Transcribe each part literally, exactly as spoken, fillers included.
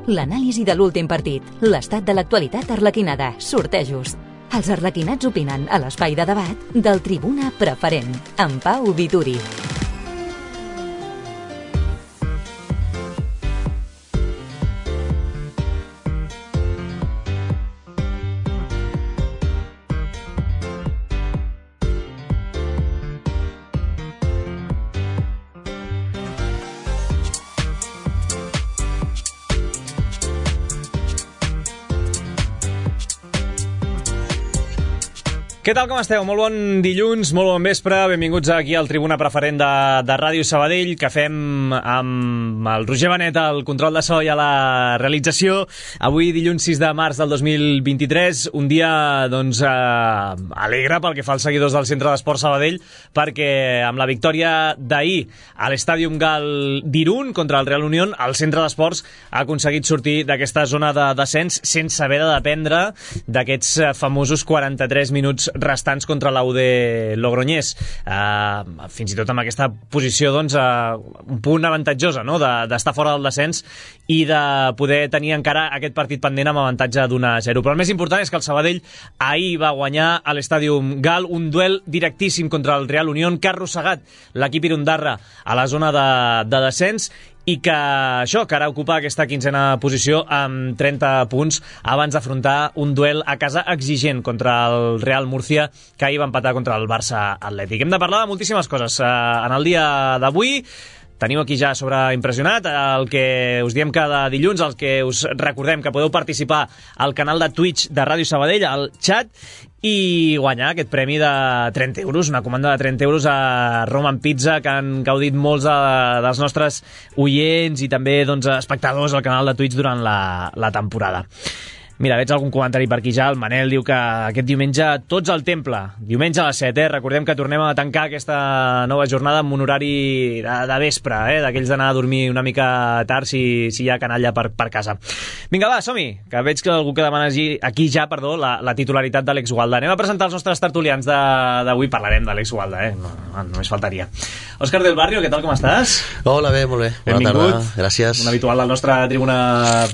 L'anàlisi de l'últim partit, l'estat de l'actualitat arlequinada, sortejos. Els arlequinats opinen a l'espai de debat del Tribuna Preferent, amb Pau Vituri. Què tal, com esteu? Molt bon dilluns, molt bon vespre, benvinguts aquí al Tribuna Preferent de, de Ràdio Sabadell, que fem amb el Roger Benet al control de so i a la realització. Avui, dilluns sis de març del dos mil vint-i-tres, un dia doncs, eh, alegre pel que fa als seguidors del Centre d'Esports Sabadell, perquè amb la victòria d'ahir a l'Estàdium Gal d'Irun contra el Real Unión, el Centre d'Esports ha aconseguit sortir d'aquesta zona de descens sense haver de dependre d'aquests famosos quaranta-tres minuts restants contra l'U D Logroñés. Uh, fins i tot amb aquesta posició, doncs, uh, un punt avantatjosa, no?, d'estar de, fora del descens i de poder tenir encara aquest partit pendent amb avantatge d'un a zero. Però el més important és que el Sabadell ahir va guanyar a l'Estàdium Gal, un duel directíssim contra el Real Unión que ha arrossegat l'equip irundarra a la zona de, de descens, i que això, que ara ocupa aquesta quinzena posició amb trenta punts abans d'afrontar un duel a casa exigent contra el Real Murcia, que ahir va empatar contra el Barça Atlètic. Hem de parlar de moltíssimes coses en el dia d'avui. Teniu aquí ja sobreimpressionat el que us diem cada dilluns, el que us recordem que podeu participar al canal de Twitch de Ràdio Sabadell, al xat, i guanyar aquest premi de trenta euros, una comanda de trenta euros a Roman Pizza, que han gaudit molts de, dels nostres oients i també, doncs, espectadors al canal de Twitch durant la, la temporada. Mira, veig algun comentari per aquí ja. El Manel diu que aquest diumenge tots al temple, diumenge a les set, eh? Recordem que tornem a tancar aquesta nova jornada amb un horari de, de vespre, eh? D'aquells d'anar a dormir una mica tard si, si hi ha canalla per, per casa. Vinga, va, som-hi, que veig que algú que demana aquí ja, perdó, la, la titularitat de l'Alex Gualda. Anem a presentar els nostres tertulians d'avui. Parlarem de l'Alex Gualda, eh? No, no, només faltaria. Òscar del Barrio, què tal, com estàs? Hola, bé, molt bé. Bona Benvingut. Tarda, gràcies. Un habitual del nostre Tribuna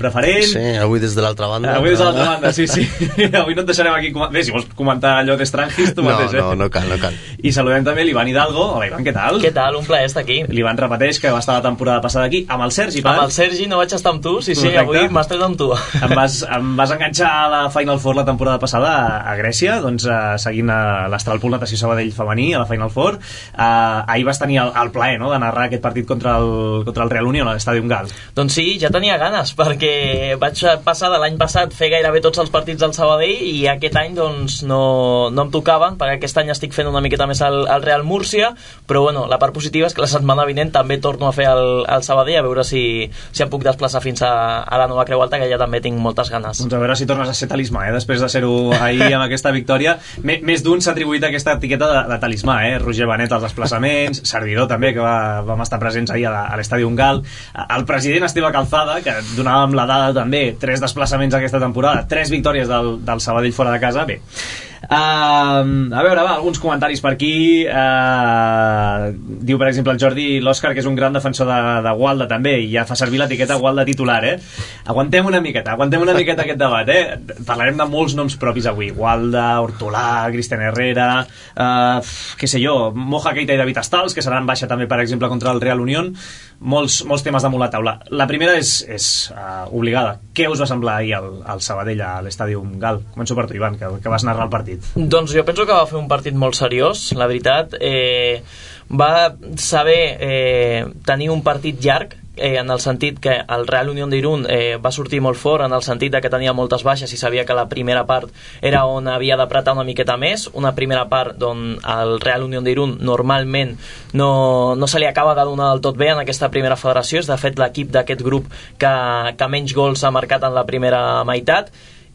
Preferent. Sí, avui des de l'altra banda. Avui des de l'altra banda, sí, sí. Avui no et deixarem aquí... Bé, si vols comentar allò d'Estrangis, tu no, mateix, eh? No, no cal, no cal. I saludem també l'Ivan Hidalgo. Hola, Ivan, què tal? Què tal? Un plaer estar aquí. L'Ivan repeteix que va estar la temporada passada aquí amb el Sergi, Pan. Amb el Sergi no vaig estar amb tu, sí, sí, Correcte. Avui m'estàs amb tu. Em vas, em vas enganxar a la Final Four la temporada passada a, a Grècia, doncs uh, seguint uh, l'Astralpool Natació Sabadell femení a la Final Four. Uh, ahir vas tenir el, el plaer, no?, de narrar aquest partit contra el, contra el Real Unión a l'Estàdium Gal. Doncs sí, ja tenia ganes, perquè vaig passar de l'any passat fer gairebé tots els partits del Sabadell i aquest any doncs no, no em tocaven, perquè aquest any estic fent una miqueta més al, al Real Múrcia, però bueno, la part positiva és que la setmana vinent també torno a fer el, el Sabadell, a veure si, si em puc desplaçar fins a, a la Nova Creu Alta, que ja també tinc moltes ganes. Doncs a veure si tornes a ser talismà, eh? Després de ser-ho ahir amb aquesta victòria. M més d'un s'ha atribuït aquesta etiqueta de, de talismà, eh? Roger Benet als desplaçaments, Servidor també, que va, vam estar presents ahir a l'Estàdium Gal, el president Esteve Calzada, que donàvem la dada també, tres desplaçaments aquesta temporada, tres victòries del, del Sabadell fora de casa. Bé, uh, a veure, va, alguns comentaris per aquí. Uh, diu, per exemple, el Jordi l'Òscar, que és un gran defensor de, de Gualda també, i ja fa servir l'etiqueta Gualda titular, eh? Aguantem una miqueta, aguantem una miqueta aquest debat, eh? Parlarem de molts noms propis avui. Gualda, Hortolà, Cristian Herrera, uh, què sé jo, Moja Keita i David Astals, que seran baixa també, per exemple, contra el Real Unión. Molts, molts temes damunt la taula. La primera és, és uh, obligada. Què us va semblar ahir al, al Sabadell a l'Estàdium Gal? Començo per tu, Ivan, que, que vas narrar el partit. Doncs jo penso que va fer un partit molt seriós, la veritat. Eh, va saber eh, tenir un partit llarg, eh, en el sentit que el Real Unión d'Irun eh, va sortir molt fort, en el sentit de que tenia moltes baixes i sabia que la primera part era on havia d'apretar una miqueta més, una primera part on el Real Unión d'Irun normalment no, no se li acaba de donar del tot bé en aquesta primera federació. És de fet l'equip d'aquest grup que, que menys gols ha marcat en la primera meitat,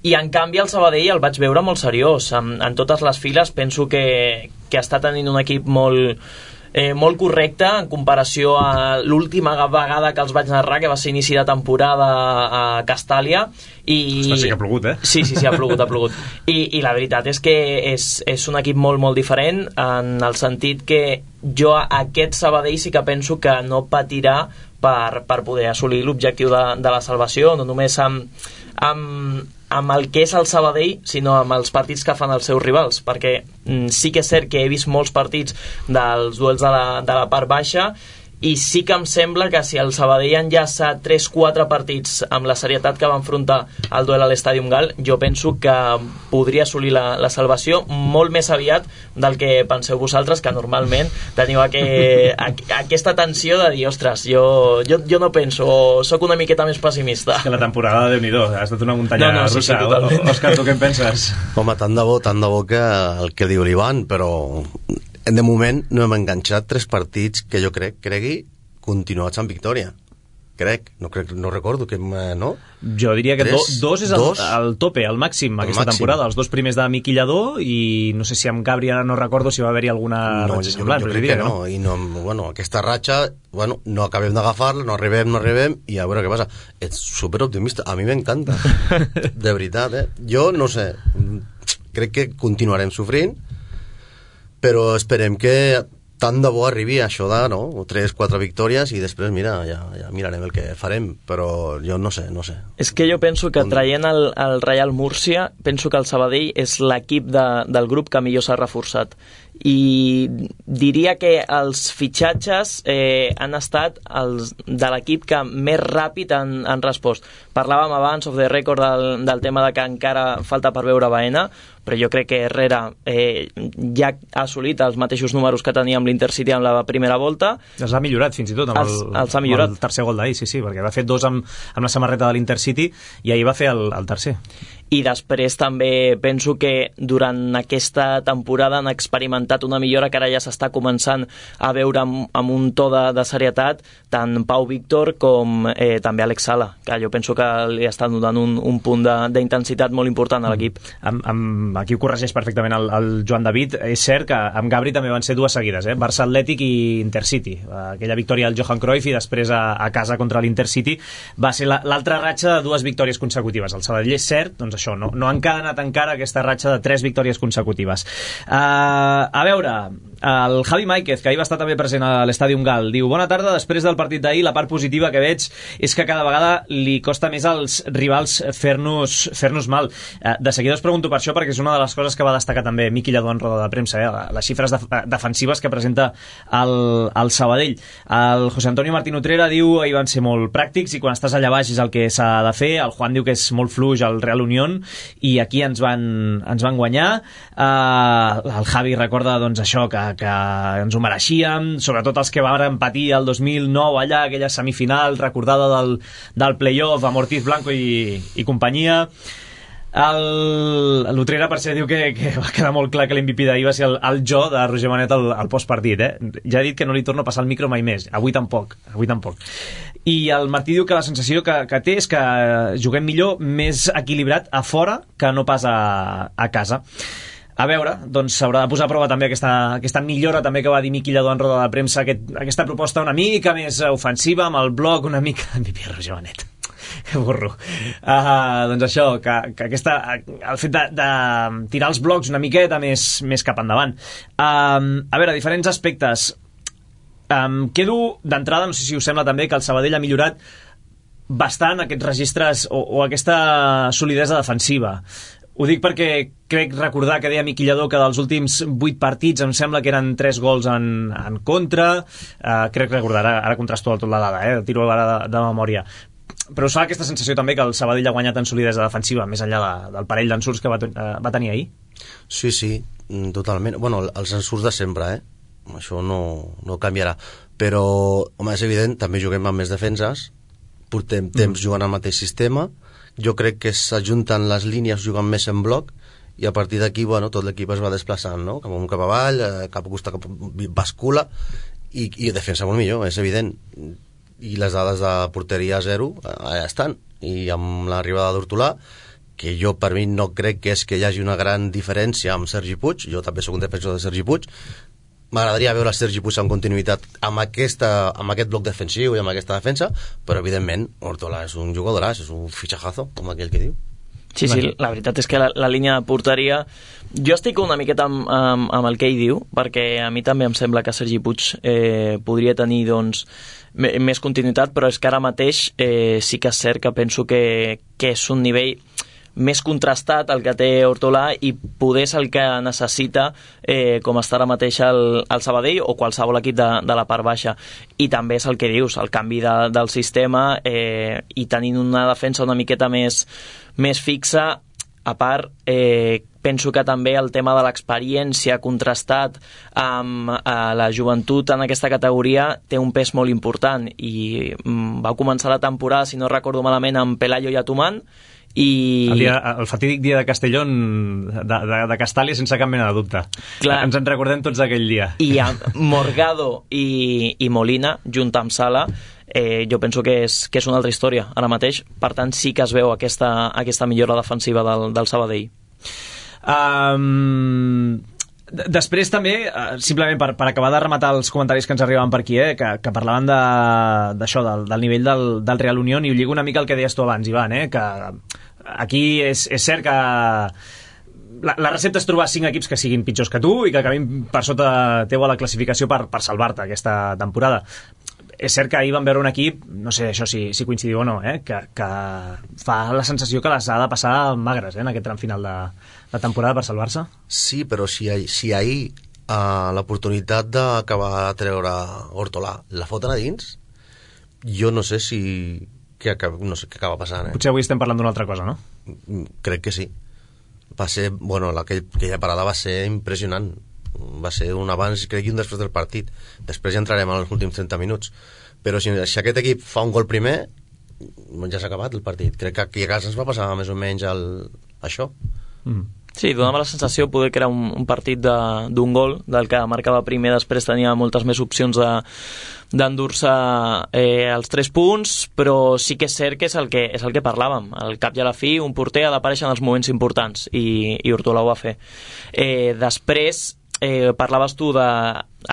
i en canvi el Sabadell el vaig veure molt seriós en, en totes les files. Penso que, que està tenint un equip molt eh, molt correcte en comparació a l'última vegada que els vaig narrar, que va ser inici de temporada a Castàlia. I... Ostres, sí que ha plogut, eh? Sí, sí, sí, ha plogut, ha plogut. I, i la veritat és que és, és un equip molt, molt diferent, en el sentit que jo aquest Sabadell sí que penso que no patirà per, per poder assolir l'objectiu de, de la salvació, no només amb, amb, amb el que és el Sabadell, sinó amb els partits que fan els seus rivals, perquè mm, sí que és cert que he vist molts partits dels duels de la, de la part baixa, i sí que em sembla que si el Sabadell enllaça tres quatre partits amb la serietat que va enfrontar el duel a l'Estàdium Gal, jo penso que podria assolir la, la salvació molt més aviat del que penseu vosaltres, que normalment teniu aqu aquesta tensió de dir, ostres, jo, jo, jo no penso, o sóc una miqueta més pessimista. És que la temporada, Déu-n'hi-do, ha estat una muntanya no, no, russa. Sí, sí, totalment. Òscar, tu què en penses? Home, tant de bo, tant de bo que el que diu l'Ivan, però de moment no hem enganxat tres partits que jo crec, cregui, continuats amb victòria. Crec, no, crec, no recordo que, no? Jo diria que tres, do, dos és el, dos, el tope, el màxim, aquesta màxim. temporada. Els dos primers de Miqui Lladó i no sé si amb Gabri ara no recordo si va haver-hi alguna no, ratxa jo, semblant. Jo, jo crec que no, no. I no, bueno, aquesta ratxa, bueno, no acabem d'agafar-la, no arribem, no arribem, i a veure què passa. Ets superoptimista, a mi m'encanta. De veritat, eh? Jo no sé, crec que continuarem sofrint, però esperem que tant de bo arribi a això de, no?, tres quatre victòries i després, mira, ja, ja mirarem el que farem, però jo no sé, no sé. És que jo penso que traient el, el Real Múrcia, penso que el Sabadell és l'equip de, del grup que millor s'ha reforçat. I diria que els fitxatges eh, han estat els de l'equip que més ràpid han, han respost. Parlàvem abans of the record del, del tema de que encara falta per veure Baena, però jo crec que Herrera eh, ja ha assolit els mateixos números que tenia amb l'Intercity en la primera volta. Els ha millorat fins i tot amb, els, el, els ha millorat. amb el tercer gol d'ahir, sí, sí, perquè va fer dos amb, amb la samarreta de l'Intercity i ahir va fer el, el tercer. I després també penso que durant aquesta temporada han experimentat una millora que ara ja s'està començant a veure amb, amb un to de, de serietat, tant Pau Víctor com eh, també Alex Sala, que jo penso que li està donant un, un punt d'intensitat molt important a l'equip. Amb, amb, aquí ho corregeix perfectament el, el Joan David. És cert que amb Gabri també van ser dues seguides, eh? Barça Atlètic i Intercity. Aquella victòria al Johan Cruyff i després a, a casa contra l'Intercity va ser l'altra la, ratxa de dues victòries consecutives. El Sabadell és cert, doncs això, no, no han encadenat encara aquesta ratxa de tres victòries consecutives. Uh, a veure, el Javi Máiquez, que ahir va estar també present a l'Estàdium Gal, diu: bona tarda, després del partit d'ahir la part positiva que veig és que cada vegada li costa més als rivals fer-nos fer-nos mal. Uh, de seguida us pregunto per això, perquè és una de les coses que va destacar també Miqui Lladó en roda de premsa, eh? Les xifres de, defensives que presenta el, el Sabadell. El José Antonio Martín Utrera diu: ahir van ser molt pràctics i quan estàs allà baix és el que s'ha de fer. El Juan diu que és molt fluix al Real Unión i aquí ens van, ens van guanyar. Uh, el Javi recorda doncs això, que, que ens ho mereixíem, sobretot els que varen patir el dos mil nou allà, aquella semifinal recordada del, del playoff amb Ortiz Blanco i, i companyia. L'Utrera, per ser, diu que, que va quedar molt clar que l'M V P d'ahir va ser el, el jo de Roger Manet al, al postpartit, eh? Ja ha dit que no li torno a passar el micro mai més. Avui tampoc, avui tampoc. I el Martí diu que la sensació que, que té és que juguem millor, més equilibrat a fora que no pas a, a casa. A veure, doncs s'haurà de posar a prova també aquesta, aquesta millora també que va dir Miqui Lladó en roda de premsa, aquest, aquesta proposta una mica més ofensiva, amb el bloc una mica... M V P Roger Manet. Que burro. Uh, doncs això, que, que aquesta, el fet de, de tirar els blocs una miqueta més, més cap endavant. Uh, a veure, diferents aspectes. Um, quedo d'entrada, no sé si us sembla també, que el Sabadell ha millorat bastant aquests registres o, o aquesta solidesa defensiva. Ho dic perquè crec recordar que deia Miqui Lladó que dels últims vuit partits em sembla que eren tres gols en, en contra. Uh, crec recordar, ara, ara contrasto tot la dada, eh? Tiro ara de, de memòria. Però us fa aquesta sensació també que el Sabadell ha guanyat en solidesa defensiva, més enllà de, del parell d'ensurts que va, uh, va tenir ahir? Sí, sí, totalment. Bueno, els ensurts de sempre, eh? Això no, no canviarà. Però, home, és evident, també juguem amb més defenses, portem temps mm. jugant al mateix sistema, jo crec que s'ajunten les línies jugant més en bloc i a partir d'aquí, bueno, tot l'equip es va desplaçant, no? Cap amunt, cap avall, cap a costat, cap bascula i, i defensa molt millor, és evident. I les dades de porteria zero allà estan, i amb l'arribada d'Hortolà, que jo per mi no crec que és que hi hagi una gran diferència amb Sergi Puig, jo també sóc un defensor de Sergi Puig, m'agradaria veure el Sergi Puig en continuïtat amb, aquesta, amb aquest bloc defensiu i amb aquesta defensa, però evidentment Ortola és un jugadoràs, és un fitxajazo, com aquell que diu. Sí, sí, la veritat és que la, la línia de porteria... Jo estic una miqueta amb, amb, amb el que ell diu, perquè a mi també em sembla que Sergi Puig eh, podria tenir doncs, més continuïtat, però és que ara mateix eh, sí que és cert que penso que, que és un nivell més contrastat el que té Ortolà i poder és el que necessita eh, com està ara mateix el, el Sabadell o qualsevol equip de, de la part baixa. I també és el que dius, el canvi de, del sistema eh, i tenint una defensa una miqueta més, més fixa. A part, eh, penso que també el tema de l'experiència contrastat amb eh, la joventut en aquesta categoria té un pes molt important i mm, va començar la temporada, si no recordo malament, amb Pelayo i Atumán, i... El, dia, el fatídic dia de Castellón, de, de, de Castàlia, sense cap mena de dubte. Clar. Ens en recordem tots d'aquell dia. I amb Morgado i, i Molina, junt amb Sala, eh, jo penso que és, que és una altra història ara mateix. Per tant, sí que es veu aquesta, aquesta millora defensiva del, del Sabadell. Um... Després també, simplement per, per acabar de rematar els comentaris que ens arribaven per aquí, eh, que, que parlaven d'això, de, del, del nivell del, del Real Unión, i ho lligo una mica al que deies tu abans, Ivan, eh, que aquí és, és cert que la, la recepta és trobar cinc equips que siguin pitjors que tu i que acabin per sota teu a la classificació per, per salvar-te aquesta temporada. És cert que ahir vam veure un equip, no sé això si, si coincidiu o no, eh, que, que fa la sensació que les ha de passar magres eh, en aquest tram final de la temporada per salvar-se. Sí, però si, si ahir uh, l'oportunitat d'acabar de treure Ortolà la foten a dins, jo no sé si què acaba, no sé què acaba passant. Eh? Potser avui estem parlant d'una altra cosa, no? Crec que sí. Va ser, bueno, aquell, aquella parada va ser impressionant. Va ser un abans, crec, i un després del partit. Després ja entrarem en els últims trenta minuts. Però si, si aquest equip fa un gol primer, ja s'ha acabat el partit. Crec que aquí a casa ens va passar més o menys el, això. Mm. Sí, donava la sensació poder que era un, un partit d'un gol, del que marcava primer, després tenia moltes més opcions de d'endur-se eh, els tres punts, però sí que és cert que és el que, és el que parlàvem. Al cap i a la fi, un porter ha d'aparèixer en els moments importants, i, i Ortolà ho va fer. Eh, després, eh, parlaves tu de...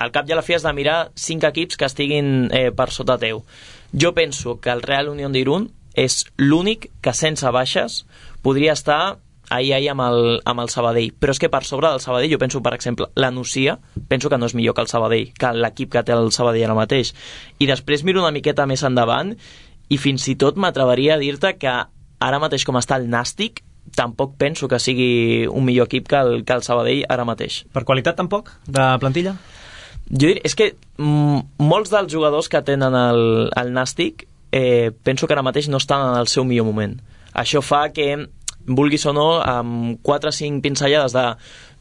Al cap i a la fi has de mirar cinc equips que estiguin eh, per sota teu. Jo penso que el Real Unión d'Irún és l'únic que sense baixes podria estar ahir, ahir amb, el, amb el Sabadell, però és que per sobre del Sabadell jo penso, per exemple, la Nucia penso que no és millor que el Sabadell, que l'equip que té el Sabadell ara mateix, i després miro una miqueta més endavant i fins i tot m'atreveria a dir-te que ara mateix com està el Nàstic tampoc penso que sigui un millor equip que el, que el Sabadell ara mateix. Per qualitat tampoc, de plantilla? Jo diria, és que mm, molts dels jugadors que tenen el, el Nàstic eh, penso que ara mateix no estan en el seu millor moment. Això fa que vulguis o no, amb quatre o cinc pinzellades de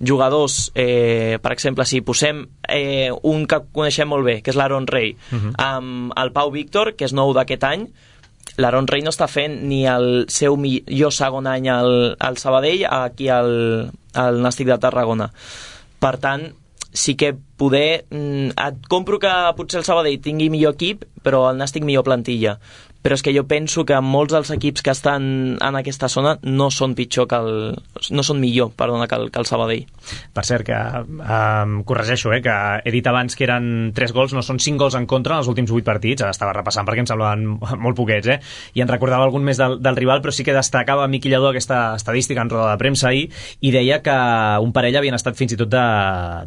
jugadors, eh, per exemple, si posem eh, un que coneixem molt bé, que és l'Aaron Rey, uh-huh. amb el Pau Víctor, que és nou d'aquest any, l'Aaron Rey no està fent ni el seu millor segon any al, al Sabadell, aquí al, al Nàstic de Tarragona. Per tant, sí que poder... Et compro que potser el Sabadell tingui millor equip, però el Nàstic millor plantilla. Però és que jo penso que molts dels equips que estan en aquesta zona no són pitjor que el... no són millor, perdona, que el, que el Sabadell. Per cert, que um, corregeixo, eh, que he dit abans que eren tres gols, no són cinc gols en contra en els últims vuit partits, ara estava repassant perquè em semblaven molt poquets, eh? I en recordava algun més del, del rival, però sí que destacava Miqui Lladó aquesta estadística en roda de premsa ahir, i deia que un parell havien estat fins i tot de,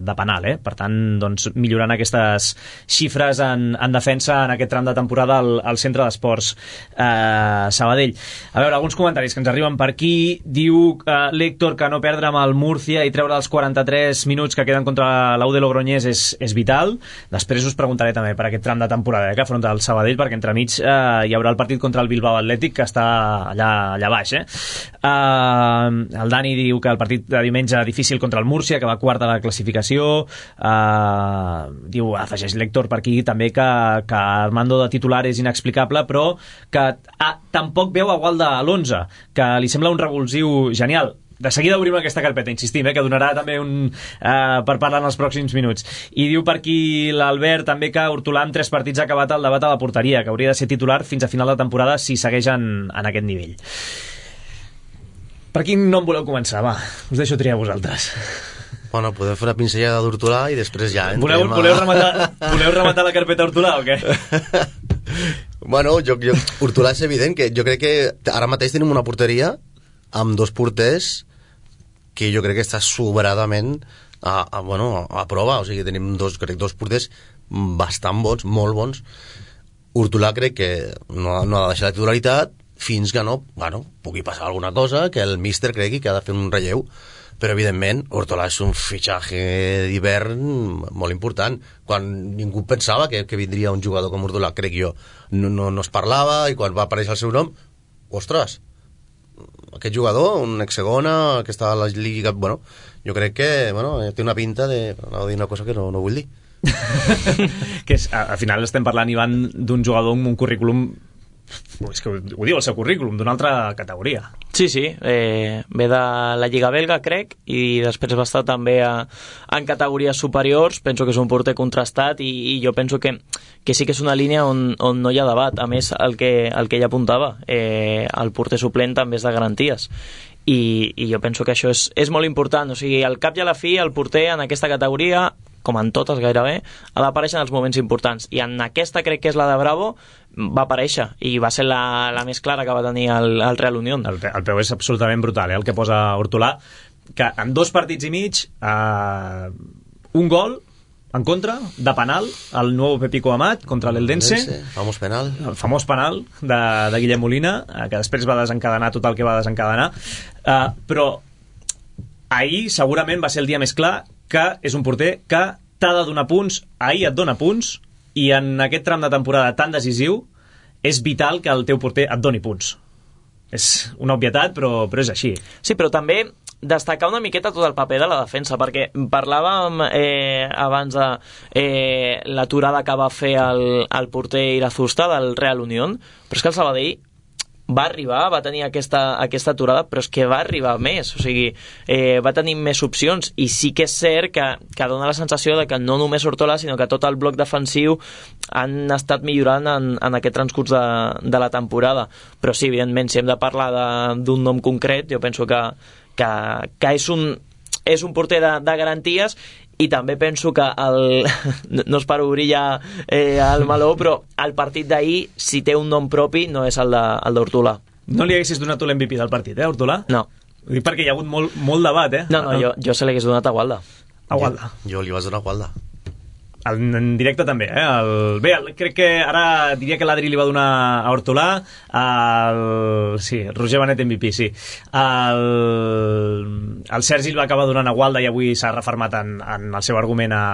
de penal, eh? Per tant, doncs, millorant aquestes xifres en, en defensa en aquest tram de temporada al, al centre d'esports Uh, Sabadell. A veure, alguns comentaris que ens arriben per aquí. Diu uh, l'Héctor que no perdre amb el Múrcia i treure els quaranta-tres minuts que queden contra l'U de Logroñés és, és vital. Després us preguntaré també per aquest tram de temporada eh, que afronta el Sabadell, perquè entremig uh, hi haurà el partit contra el Bilbao Atlètic, que està allà, allà baix. Eh? Uh, el Dani diu que el partit de diumenge difícil contra el Múrcia, que va quart a la classificació. Uh, diu, afegeix l'Héctor per aquí també que, que Armando de titular és inexplicable, però que ah, tampoc veu a Gualda a l'onze, que li sembla un revulsiu genial. De seguida obrim aquesta carpeta, insistim, eh, que donarà també un eh, per parlar en els pròxims minuts. I diu per aquí l'Albert també que Ortolà amb tres partits ha acabat el debat a la porteria, que hauria de ser titular fins a final de temporada si segueix en, en aquest nivell. Per quin nom voleu començar? Va, us deixo triar vosaltres. Bueno, podem fer una pinzellada d'Hortolà i després ja entrem voleu, a... voleu, rematar, voleu rematar la carpeta Hortolà o què? Bueno, jo, jo, Hortolà és evident que jo crec que ara mateix tenim una porteria amb dos porters que jo crec que està sobradament a, a, bueno, a prova, o sigui, tenim dos, crec, dos porters bastant bons, molt bons. Hortolà crec que no, no ha de deixar la titularitat fins que no, bueno, pugui passar alguna cosa, que el míster cregui que ha de fer un relleu, però evidentment Hortolà és un fitxatge d'hivern molt important. Quan ningú pensava que, que vindria un jugador com Hortolà, crec jo, no, no, no es parlava, i quan va aparèixer el seu nom, ostres, aquest jugador, un ex-segona, que està a la Lliga, bueno, jo crec que, bueno, té una pinta de... no dir una cosa que no, no vull dir. Que és, al final estem parlant, Ivan, d'un jugador amb un currículum, és que ho, ho diu el seu currículum, d'una altra categoria. Sí, sí, eh, ve de la Lliga belga, crec, i després va estar també a, en categories superiors. Penso que és un porter contrastat i, i jo penso que, que sí que és una línia on, on no hi ha debat. A més, el que, el que ella apuntava, eh, el porter suplent també és de garanties. I, i jo penso que això és, és molt important. O sigui, al cap i a la fi, el porter en aquesta categoria, com en totes gairebé, ha d'aparèixer en els moments importants. I en aquesta, crec que és la de Bravo, va aparèixer, i va ser la, la més clara que va tenir el, el Real Unión. El, el peu és absolutament brutal, eh, el que posa Hortolà, que en dos partits i mig, eh, un gol en contra, de penal, el nou Pepico Amat contra l'Eldense, famós penal, el famós penal de, de Guillem Molina, eh, que després va desencadenar tot el que va desencadenar, eh, però ahir segurament va ser el dia més clar que és un porter que t'ha de donar punts, ahir et dona punts, i en aquest tram de temporada tan decisiu és vital que el teu porter et doni punts. És una obvietat, però, però és així. Sí, però també destacar una miqueta tot el paper de la defensa, perquè parlàvem eh, abans de eh, l'aturada que va fer el, el porter Irazusta del Real Unión, però és que el Sabadell va arribar, va tenir aquesta, aquesta aturada, però és que va arribar més, o sigui, eh, va tenir més opcions, i sí que és cert que, que dona la sensació de que no només Hortolà, sinó que tot el bloc defensiu han estat millorant en, en aquest transcurs de, de la temporada. Però sí, evidentment, si hem de parlar d'un nom concret, jo penso que, que, que és un és un porter de, de garanties. I també penso que el, no es per obrir ja eh, el meló, però el partit d'ahir, si té un nom propi, no és el d'Hortolà. No li haguessis donat tu l'M V P del partit, eh, Hortolà? No. Ho dic perquè hi ha hagut molt, molt debat, eh? No, no, jo, jo se l'hagués donat a Gualda. A Gualda. Jo, jo li vas donar a Gualda. El, en directe també, eh? El, bé, el, crec que ara diria que l'Adri li va donar a Hortolà, el, sí, el Roger Benet M V P, sí. El, el Sergi el va acabar donant a Gualda i avui s'ha refermat en, en el seu argument a,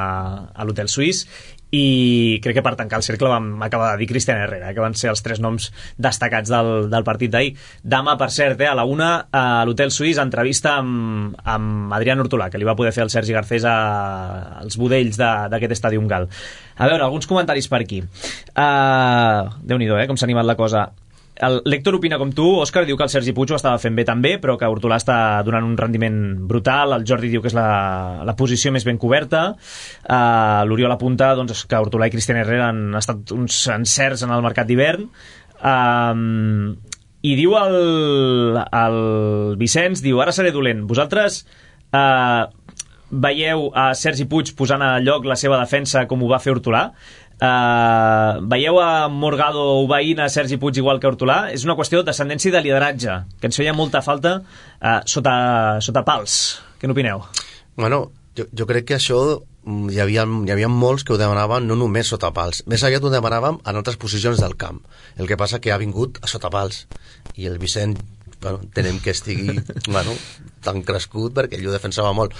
a l'Hotel Suís, i crec que per tancar el cercle vam acabar de dir Cristian Herrera, que van ser els tres noms destacats del, del partit d'ahir. Demà, per cert, eh, a la una, a l'Hotel Suís, entrevista amb, amb Adrián Hortolà, que li va poder fer el Sergi Garcés a, als budells d'aquest Estadi Gal. A veure, alguns comentaris per aquí. Uh, Déu-n'hi-do, eh, com s'ha animat la cosa. L'Héctor opina com tu. Òscar diu que el Sergi Puig ho estava fent bé també, però que Hortolà està donant un rendiment brutal. El Jordi diu que és la, la posició més ben coberta. Uh, L'Oriol apunta doncs, que Hortolà i Cristian Herrera han estat uns encerts en el mercat d'hivern. Uh, I diu el, el Vicenç, diu, ara seré dolent. Vosaltres uh, veieu a Sergi Puig posant a lloc la seva defensa com ho va fer Hortolà? Uh, veieu a Morgado obeint a Sergi Puig igual que Hortolà? És una qüestió d'ascendència i de lideratge, que ens feia molta falta uh, sota, sota pals. Què n'opineu? Bueno, jo, jo crec que això hi havia, hi havia molts que ho demanaven no només sota pals, més aviat ho demanàvem en altres posicions del camp. El que passa que ha vingut a sota pals, i el Vicent, bueno, tenem que estigui bueno, tan crescut perquè ell ho defensava molt.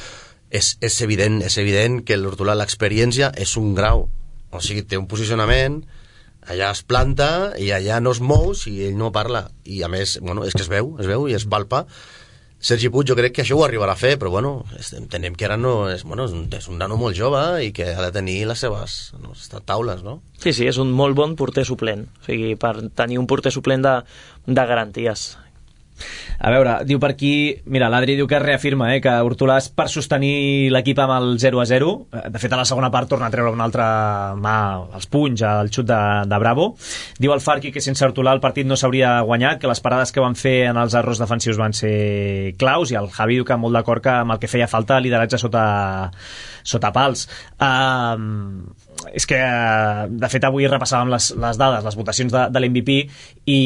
És, és evident, és evident que l'Hortolà, l'experiència és un grau. O sigui, té un posicionament, allà es planta i allà no es mou si ell no parla. I a més, bueno, és que es veu, es veu i es palpa. Sergi Puig jo crec que això ho arribarà a fer, però bueno, entenem que ara no és, bueno, és, un, és un nano molt jove i que ha de tenir les seves no, taules, no? Sí, sí, és un molt bon porter suplent. O sigui, per tenir un porter suplent de, de garanties. A veure, diu per aquí, mira, l'Adri diu que es reafirma eh, que Hortolà és per sostenir l'equip amb el zero a zero. De fet, a la segona part torna a treure una altra mà als punys, al xut de, de Bravo. Diu el Farqui que sense Hortolà el partit no s'hauria guanyat, que les parades que van fer en els errors defensius van ser claus, i el Javi diu que molt d'acord que amb el que feia falta lideratge sota, sota pals. Uh, és que, de fet, avui repassàvem les, les dades, les votacions de, de l'M V P, i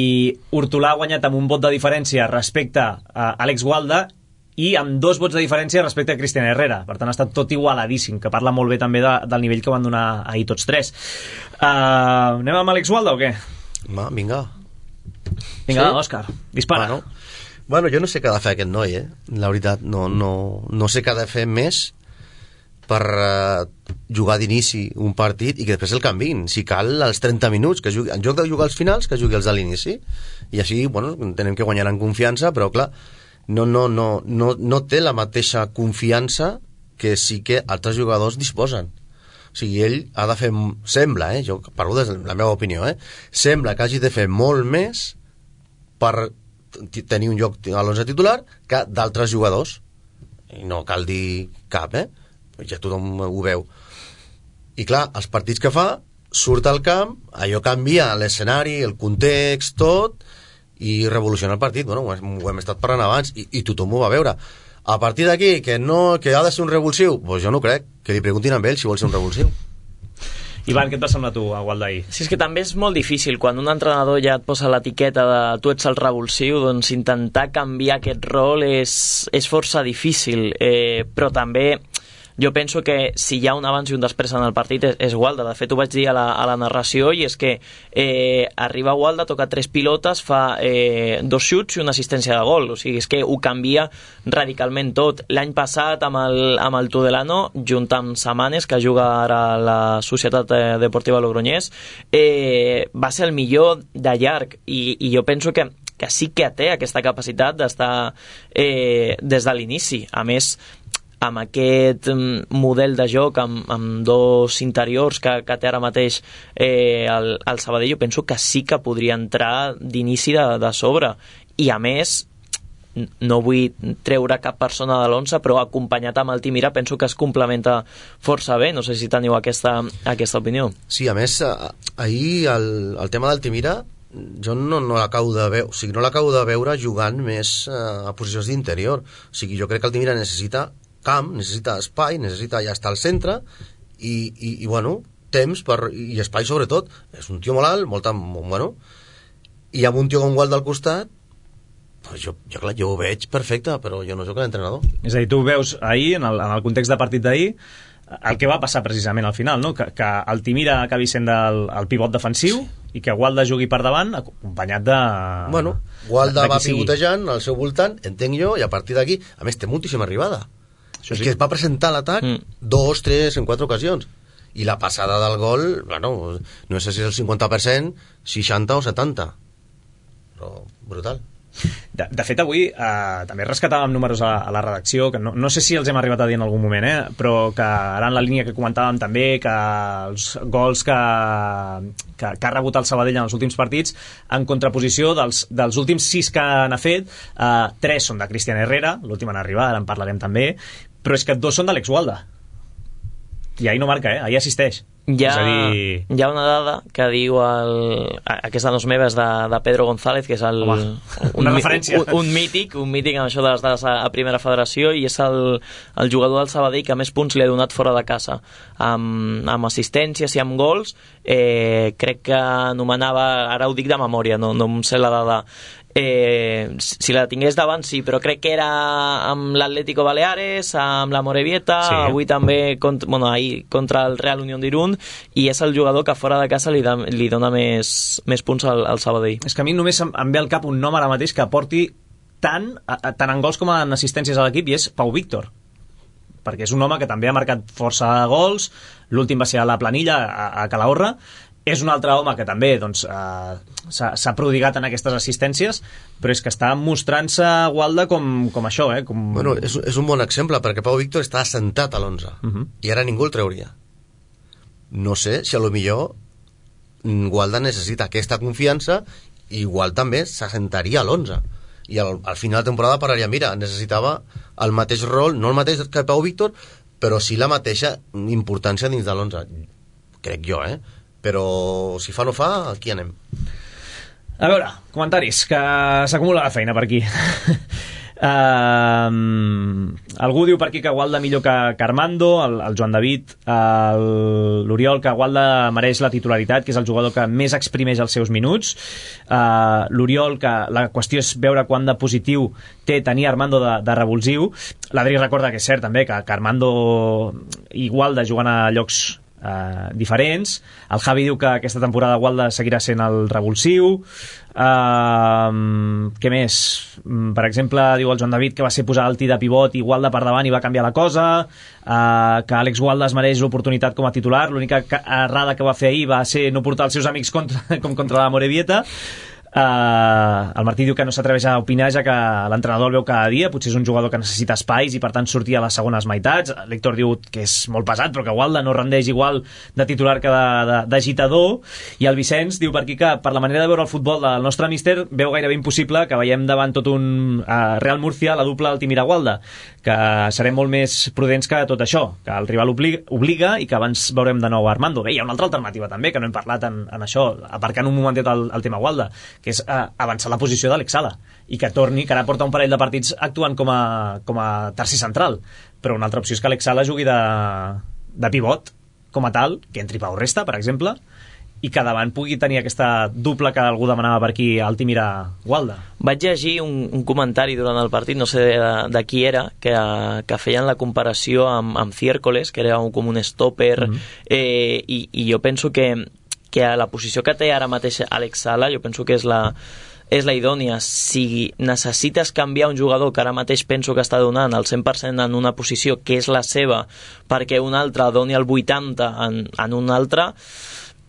Hortolà ha guanyat amb un vot de diferència respecte a Àlex Gualda i amb dos vots de diferència respecte a Cristian Herrera. Per tant, ha estat tot igualadíssim, que parla molt bé també de, del nivell que van donar ahir tots tres. Uh, anem amb Àlex Gualda o què? Va, vinga. Vinga, sí? Òscar, dispara. Bueno, bueno, jo no sé què ha de fer aquest noi, eh? La veritat, no, no, no sé què ha de fer més per uh, jugar d'inici un partit i que després el canviïn, si cal als trenta minuts, que jugui, en lloc de jugar als finals que jugui als de l'inici, i així, bueno, entenem que guanyaran confiança, però clar, no, no, no, no, no té la mateixa confiança que sí que altres jugadors disposen. O sigui, ell ha de fer, sembla, eh, jo parlo des de la meva opinió, eh, sembla que hagi de fer molt més per tenir un lloc a l'onze titular que d'altres jugadors, i no cal dir cap, eh, ja tothom ho veu. I clar, els partits que fa, surt al camp, allò canvia l'escenari, el context, tot, i revoluciona el partit. Bueno, ho hem, ho hem estat parlant abans, i, i tothom ho va veure. A partir d'aquí, que, no, que ha de ser un revulsiu, doncs jo no crec, que li preguntin a ell si vol ser un revulsiu. Ivan, què et va semblar tu a Gualda ahir? Sí, és que també és molt difícil, quan un entrenador ja et posa l'etiqueta de tu ets el revulsiu, doncs intentar canviar aquest rol és, és força difícil, eh, però també jo penso que si hi ha un abans i un després en el partit és, és Gualda. De fet, ho vaig dir a la, a la narració, i és que eh, arriba Gualda, toca tres pilotes, fa eh, dos xuts i una assistència de gol. O sigui, és que ho canvia radicalment tot. L'any passat, amb el, amb el Tudelano, junt amb Samanes, que juga ara a la Societat Deportiva Logroñés, eh, va ser el millor de llarg, i, i jo penso que que sí que té aquesta capacitat d'estar eh, des de l'inici. A més, amb aquest model de joc, amb, amb dos interiors que, que té ara mateix eh, el, el Sabadell, jo penso que sí que podria entrar d'inici de, de sobre. I a més, no vull treure cap persona de l'onze, però acompanyat amb el Timira penso que es complementa força bé. No sé si teniu aquesta, aquesta opinió. Sí, a més, ahir el, el tema del Timira jo no, no l'acabo de veure, o sigui, no l'acabo de veure jugant més uh, a posicions d'interior. O sigui, jo crec que el Timira necessita camp, necessita espai, necessita ja estar al centre, i, i, i bueno, temps per, i espai sobretot. És un tio molt alt, molt, molt bueno, i amb un tio com Gualda al costat, pues jo, jo, clar, jo ho veig perfecte, però jo no soc l'entrenador. És a dir, tu veus ahir, en el, en el context de partit d'ahir, el que va passar precisament al final, no? que, que el Timira acabi sent el, el pivot defensiu, sí, i que Gualda jugui per davant acompanyat de... Bueno, Gualda de va pivotejant al seu voltant, entenc jo, i a partir d'aquí, a més, té moltíssima arribada. Això sí. És que es va presentar l'atac mm. dos, tres, en quatre ocasions. I la passada del gol, bueno, no sé si és el cinquanta per cent, seixanta o setanta. Però brutal. De, de fet, avui eh, també rescatàvem números a, a la redacció, que no, no sé si els hem arribat a dir en algun moment, eh, però que ara en la línia que comentàvem també, que els gols que, que, que ha rebut el Sabadell en els últims partits, en contraposició dels, dels últims sis que n'ha fet, eh, tres són de Cristian Herrera, l'últim en arribar, ara en parlarem també, però és que dos són d'Àlex Gualda. I ahir no marca, eh? Ahir assisteix. Hi ha, és a dir... hi ha una dada que diu el, aquesta no és meva, és de, de Pedro González, que és el, Home, una un, referència. Un, un mític un mític amb això de les dades a, a primera federació, i és el, el jugador del Sabadell que més punts li ha donat fora de casa, amb, amb assistències i amb gols. eh, crec que anomenava, ara ho dic de memòria, no, no em sé la dada, eh, si la tingués davant sí, però crec que era amb l'Atlético Baleares, amb la Morevieta, sí. Avui també contra, bueno, ahir contra el Real Unión d'Irún, i és el jugador que fora de casa li, da, li dona més, més punts al, al Sabadell. És que a mi només em, em ve al cap un nom ara mateix que aporti tant, a, a, tant en gols com en assistències a l'equip, i és Pau Víctor, perquè és un home que també ha marcat força gols, l'últim va ser a la planilla a, a Calahorra. És un altre home que també doncs, eh, s'ha prodigat en aquestes assistències, però és que està mostrant-se Gualda com, com això. Eh? Com... Bueno, és, és un bon exemple, perquè Pau Víctor està assentat a l'onze, uh -huh. i ara ningú el trauria. No sé si a lo millor Gualda necessita aquesta confiança, i igual també s'assentaria a l'onze. I al, al final de temporada pararia, mira, necessitava el mateix rol, no el mateix que Pau Víctor, però sí la mateixa importància dins de l'onze. Crec jo, eh? Però si fa no fa, aquí anem. A veure, comentaris, que s'acumula la feina per aquí. Uh, algú diu per aquí que Gualda millor que, que Armando, el, el Joan David, l'Oriol, que Gualda mereix la titularitat, que és el jugador que més exprimeix els seus minuts. uh, l'Oriol, que la qüestió és veure quant de positiu té tenir Armando de, de revulsiu. L'Adri recorda que és cert també que, que Armando i Gualda juguen a llocs Uh, diferents. El Javi diu que aquesta temporada Gualda seguirà sent el revulsiu. Uh, què més? Per exemple, diu el Joan David que va ser posar Alti de pivot i Gualda per davant i va canviar la cosa. Uh, que Àlex Gualda es mereix l'oportunitat com a titular. L'única errada que va fer ahir va ser no portar els seus amics contra, com contra la Morevieta. Uh, el Martí diu que no s'atreveix a opinar, ja que l'entrenador el veu cada dia, potser és un jugador que necessita espais i per tant sortir a les segones meitats. L'Héctor diu que és molt pesat, però que Gualda no rendeix igual de titular que d'agitador. I el Vicenç diu per aquí que per la manera de veure el futbol del nostre míster veu gairebé impossible que veiem davant tot un uh, Real Murcia la dupla Altimira-Gualda, que serem molt més prudents que tot això, que el rival obliga, obliga i que abans veurem de nou a Armando. Bé, hi ha una altra alternativa també, que no hem parlat en, en això, aparcant un momentet el, el tema Gualda, que és uh, avançar la posició d'Àlex Sala i que torni, que ara porta un parell de partits actuant com a, com a tercer central, però una altra opció és que Àlex Sala jugui de, de pivot com a tal, que entri Pau Resta, per exemple, i que davant pugui tenir aquesta dupla que algú demanava per aquí, Altimira-Gualda. Vaig llegir un, un comentari durant el partit, no sé de, de qui era, que, que feien la comparació amb, amb Ciércoles, que era un, com un stopper, mm-hmm. eh, i, i jo penso que que a la posició que té ara mateix Àlex Sala, jo penso que és la, és la idònia. Si necessites canviar un jugador que ara mateix penso que està donant el cent per cent en una posició que és la seva perquè un altre doni el vuitanta en, en un altre,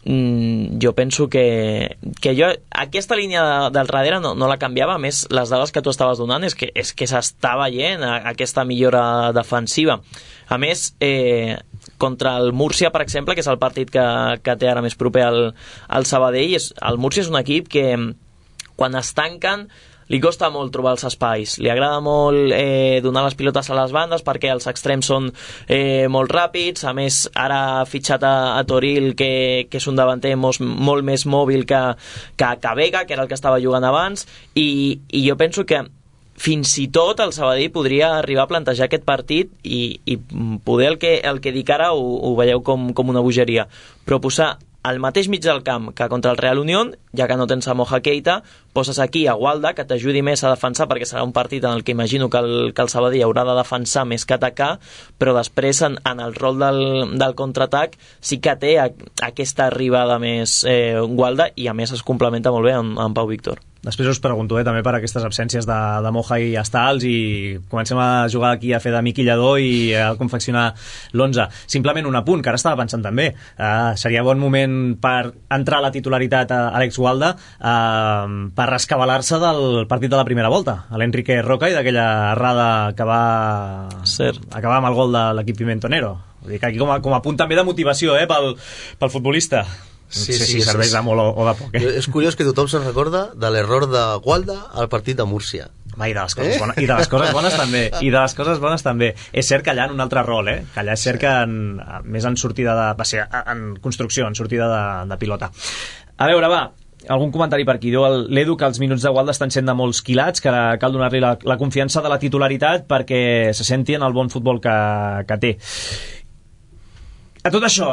mm, jo penso que, que jo aquesta línia del darrere no, no la canviava. A més, les dades que tu estaves donant és que, és que s'està veient aquesta millora defensiva. A més, eh, contra el Múrcia, per exemple, que és el partit que, que té ara més proper al, al Sabadell, és, el Múrcia és un equip que quan es tanquen li costa molt trobar els espais, li agrada molt eh, donar les pilotes a les bandes perquè els extrems són eh, molt ràpids. A més, ara ha fitxat a, a Toril, que, que és un davanter molt, molt més mòbil que, que, que Vega, que era el que estava jugant abans, i, i jo penso que fins i tot el Sabadell podria arribar a plantejar aquest partit i, i poder el que, el que dic ara ho, ho veieu com, com una bogeria, però posar al mateix mig del camp que contra el Real Unión, ja que no tens a Moja Keita, poses aquí a Gualda, que t'ajudi més a defensar, perquè serà un partit en el que imagino que el, que el Sabadell haurà de defensar més que atacar, però després en, en el rol del, del contraatac sí que té a, aquesta arribada més eh, Gualda, i a més es complementa molt bé amb, amb Pau Víctor. Després us pregunto eh, també per aquestes absències de, de Moja i Estals, i comencem a jugar aquí a fer de miquillador i a confeccionar l'onze. Simplement un apunt, que ara estava pensant també, uh, seria bon moment per entrar a la titularitat a Àlex Gualda, uh, per rescabalar-se del partit de la primera volta, a l'Enrique Roca i d'aquella errada que va Cert. acabar amb el gol de l'equip Pimentonero. Vull dir que aquí com a, com a punt també de motivació eh, pel, pel futbolista. Sí, no sé sí, si serveix de molt o, o de poc. Eh? És curiós que tothom se'n recorda de l'error de Gualda al partit de Múrcia. Va, i de les coses eh? bones, i de les coses bones també, i de les coses bones també. És cert que allà en un altre rol, eh? Que allà és cert que en, més en sortida de... va ser en construcció, en sortida de, de pilota. A veure, va, algun comentari per aquí. Diu l'Edu que els minuts de Gualda estan sent de molts quilats, que cal donar-li la, la confiança de la titularitat perquè se senti en el bon futbol que, que té. A tot això,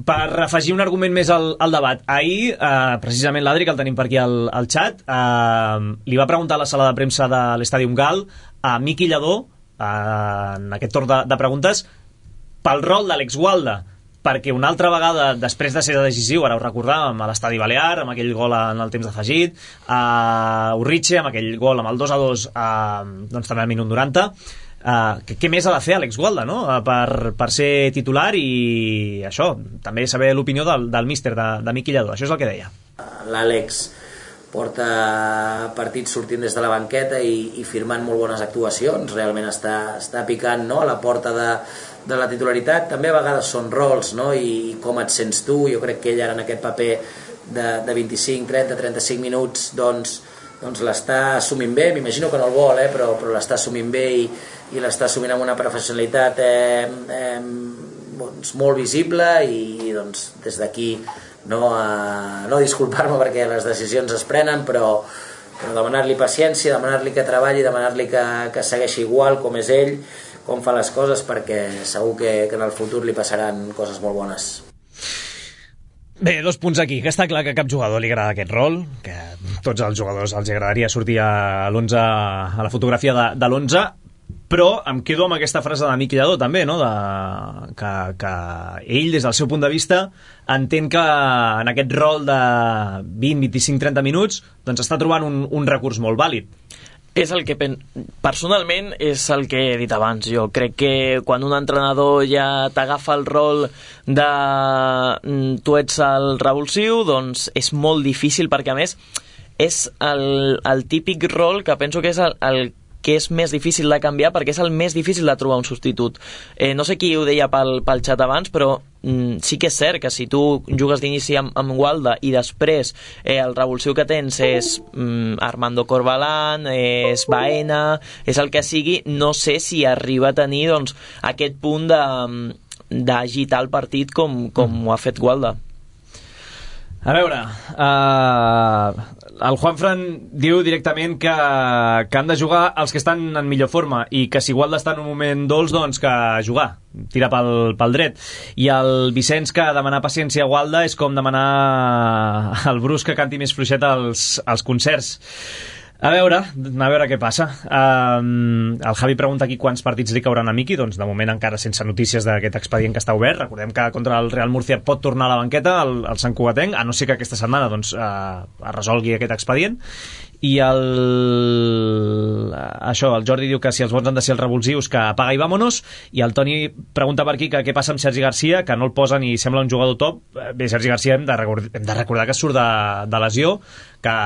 per afegir un argument més al, al debat, ahir, eh, precisament l'Adri, que el tenim per aquí al, al xat, eh, li va preguntar a la sala de premsa de l'Estàdium Gal a Miqui Lladó, eh, en aquest torn de, de preguntes, pel rol d'Àlex Gualda, perquè una altra vegada, després de ser decisiu, ara ho recordàvem, a l'Estadi Balear, amb aquell gol en el temps d'afegit, a Urritxe, amb aquell gol amb el dos a dos, eh, doncs també al minut noranta, Uh, què, què més ha de fer Àlex Gualda, no? uh, per, per ser titular, i això, també saber l'opinió del, del míster de, de Miqui Lladó. Això és el que deia. L'Àlex porta partits sortint des de la banqueta i, i firmant molt bones actuacions, realment està, està picant, no?, a la porta de, de la titularitat. També a vegades són rols, no?, i, i com et sents tu. Jo crec que ell ara en aquest paper de, de vint-i-cinc, trenta, trenta-cinc minuts doncs, doncs l'està assumint bé. M'imagino que no el vol, eh, però, però l'està assumint bé i, i l'està assumint amb una professionalitat eh, eh, doncs, molt visible, i doncs, des d'aquí no, a, no disculpar-me perquè les decisions es prenen, però, però demanar-li paciència, demanar-li que treballi, demanar-li que, que segueixi igual com és ell, com fa les coses, perquè segur que, que en el futur li passaran coses molt bones. Bé, dos punts aquí, que està clar que a cap jugador li agrada aquest rol, que tots els jugadors els agradaria sortir a l'onze, a la fotografia de, de l'onze, però em quedo amb aquesta frase de Miqui Lladó també, no? de, que, que ell, des del seu punt de vista, entén que en aquest rol de vint, vint-i-cinc, trenta minuts doncs està trobant un, un recurs molt vàlid. És el que pen... personalment és el que he dit abans. Jo crec que quan un entrenador ja t'agafa el rol de tu ets el revulsiu, doncs és molt difícil, perquè a més és el, el típic rol que penso que és el, el que és més difícil de canviar, perquè és el més difícil de trobar un substitut. Eh, no sé qui ho deia pel, pel xat abans, però mm, sí que és cert que si tu jugues d'inici amb, amb Gualda i després eh, el revulsiu que tens és mm, Armando Corbalán, és Baena, és el que sigui, no sé si arriba a tenir doncs, aquest punt de, d'agitar el partit com, com mm. ho ha fet Gualda. A veure, uh, el Juanfran diu directament que, que han de jugar els que estan en millor forma i que si Gualda està en un moment dolç, doncs que jugar, tira pel, pel dret. I el Vicenç, que demanar paciència a Gualda és com demanar al Brus que canti més fluixet als, als concerts. A veure, a veure què passa. Um, el Javi pregunta aquí quants partits li cauran a Miqui. Doncs de moment encara sense notícies d'aquest expedient que està obert. Recordem que contra el Real Murcia pot tornar a la banqueta el, el Sant Cugatenc, a no ser que aquesta setmana doncs, uh, es resolgui aquest expedient. I el... això, el Jordi diu que si els bons han de ser els revulsius, que apaga i vámonos. I el Toni pregunta per aquí que què passa amb Sergi Garcia, que no el posen i sembla un jugador top. Bé, Sergi Garcia hem de recordar, hem de recordar que surt de, de lesió, que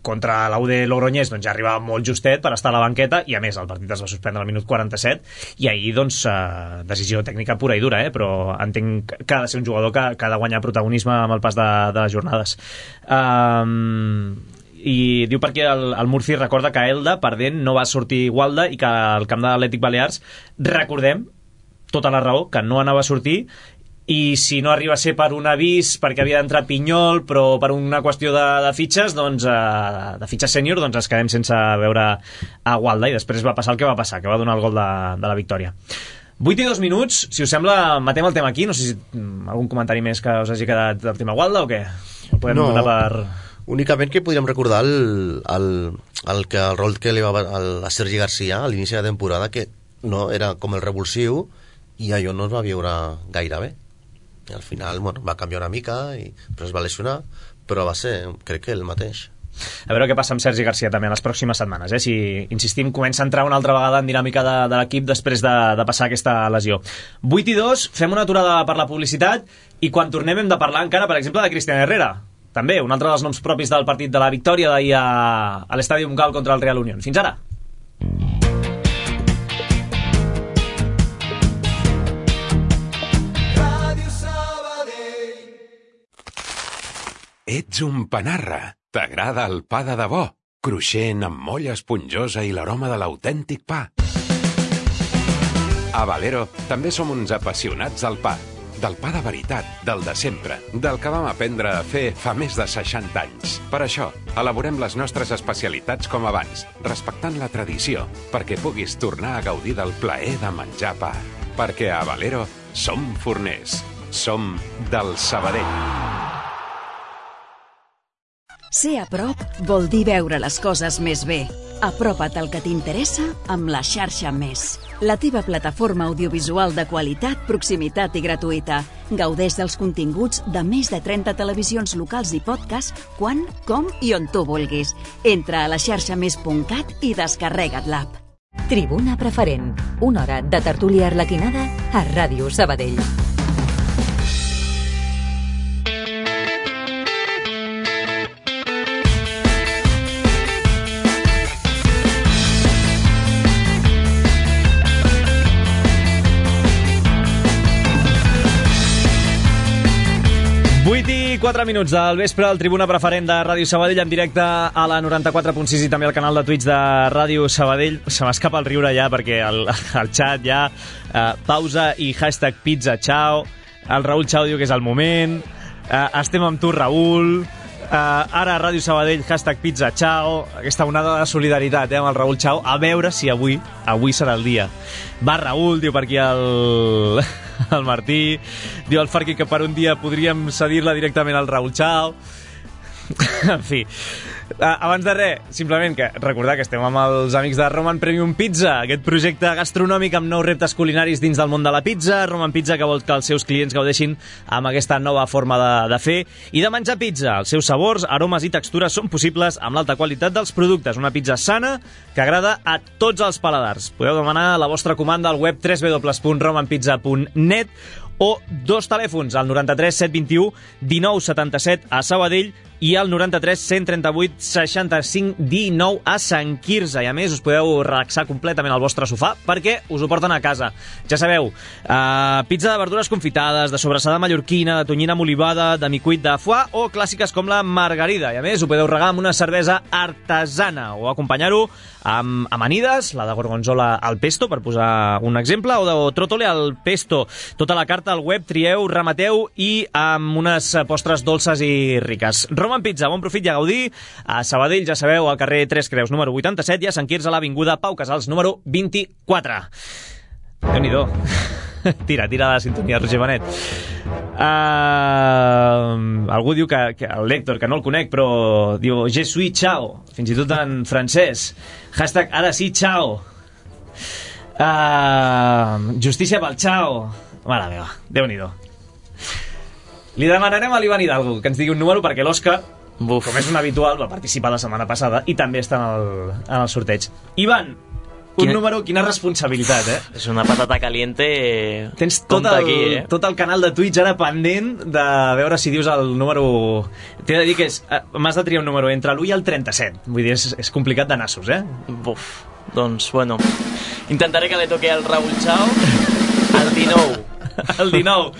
contra l'U D Logroñés doncs, ja arribava molt justet per estar a la banqueta, i a més el partit es va suspendre al minut quaranta-set, i ahir doncs, eh, decisió tècnica pura i dura, eh? Però entenc que ha de ser un jugador que, que ha de guanyar protagonisme amb el pas de, de les jornades. Um, i diu perquè el, el Murci recorda que Elda, perdent, no va sortir Gualda, i que al camp de l'Atlètic Balears, recordem, tota la raó, que no anava a sortir, i si no arriba a ser per un avís perquè havia d'entrar Pinyol, però per una qüestió de, de fitxes, doncs, eh, de fitxes sènior, doncs ens quedem sense veure a Gualda, i després va passar el que va passar, que va donar el gol de, de la victòria. vuit i dos minuts, si us sembla, matem el tema aquí. No sé si algun comentari més que us hagi quedat del tema Gualda o què? Podem no, anar per... únicament que podríem recordar el, el, el, que, el rol que li va a Sergi Garcia a l'inici de la temporada, que no era com el revulsiu, i allò no es va viure gaire bé. I al final, bueno, va canviar una mica i després es va lesionar, però va ser, crec que el mateix. A veure què passa amb Sergi Garcia també en les pròximes setmanes, eh? Si, insistim, comença a entrar una altra vegada en dinàmica de, de l'equip després de, de passar aquesta lesió. vuit i dos, fem una aturada per la publicitat, i quan tornem hem de parlar encara, per exemple, de Cristian Herrera, també un altre dels noms propis del partit de la victòria d'ahir a, a l'Estadi Montcal contra el Real Unión. Fins ara. Ets un panarra. T'agrada el pa de debò, cruixent amb molla esponjosa i l'aroma de l'autèntic pa. A Valero també som uns apassionats del pa, del pa de veritat, del de sempre, del que vam aprendre a fer fa més de seixanta anys. Per això, elaborem les nostres especialitats com abans, respectant la tradició, perquè puguis tornar a gaudir del plaer de menjar pa. Perquè a Valero som forners, som del Sabadell. Ser a prop vol dir veure les coses més bé. Apropa't al que t'interessa amb la xarxa Més. La teva plataforma audiovisual de qualitat, proximitat i gratuïta. Gaudeix dels continguts de més de trenta televisions locals i podcast quan, com i on tu vulguis. Entra a la xarxa més punt cat i descarrega't l'app. Tribuna Preferent. Una hora de tertúlia arlequinada a Ràdio Sabadell. vuit i quatre minuts del vespre, el Tribuna Preferent de Ràdio Sabadell en directe a la noranta-quatre punt sis i també al canal de Twitch de Ràdio Sabadell. Se m'escapa el riure ja perquè el, el xat ja uh, pausa i hashtag pizza chao. El Raül Chao diu que és el moment. Uh, estem amb tu, Raül. Uh, ara a Ràdio Sabadell, hashtag pizza Chao. Aquesta onada de solidaritat eh, amb el Raül Chao. A veure si avui, avui serà el dia. Va, Raül, diu per aquí el, el Martí. Diu el Farqui que per un dia podríem cedir-la directament al Raül Chao. En fi, abans de res, simplement que recordar que estem amb els amics de Roman Premium Pizza, aquest projecte gastronòmic amb nous reptes culinaris dins del món de la pizza. Roman Pizza, que vol que els seus clients gaudeixin amb aquesta nova forma de, de fer i de menjar pizza. Els seus sabors, aromes i textures són possibles amb l'alta qualitat dels productes. Una pizza sana que agrada a tots els paladars. Podeu demanar la vostra comanda al web w w w punt roman pizza punt net o dos telèfons, al noranta-tres set vint-i-u dinou setanta-set a Sabadell i al noranta-tres cent trenta-vuit seixanta-cinc dinou a Sant Quirze. I a més us podeu relaxar completament al vostre sofà perquè us ho porten a casa. Ja sabeu, uh, pizza de verdures confitades, de sobrassada mallorquina, de tonyina molivada, de micuit de foie o clàssiques com la margarida. I a més ho podeu regar amb una cervesa artesana o acompanyar-ho amb amanides, la de gorgonzola al pesto, per posar un exemple, o de trotole al pesto. Tota la carta al web, trieu, remateu i amb unes postres dolces i riques. Roman Pizza, bon profit i a gaudir. A Sabadell, ja sabeu, al carrer Tres Creus, número vuitanta-set, i a Sant Quirze, a l'avinguda Pau Casals, número vint-i-quatre. Déu-n'hi-do. Tira, tira la sintonia, Roger Benet. Uh, algú diu que, que el Héctor, que no el conec, però diu je suis ciao, fins i tot en francès. Hashtag ara sí, ciao. Uh, justícia pel ciao. Mare meva, Déu-n'hi-do. Li demanarem a l'Ivan Hidalgo que ens digui un número perquè l'Òscar, com és un habitual, va participar la setmana passada i també està en el, en el sorteig. Ivan, un quina... número, quina responsabilitat, eh? És una patata caliente. Tens tot el, aquí, eh? tot el canal de Twitch ara pendent de veure si dius el número... T'he de dir que és... m'has de triar un número entre l'u i el trenta-set. Vull dir, és, és complicat de nassos, eh? Buf, doncs, bueno, intentaré que li toqui al Raül Chao el dinou. El dinou.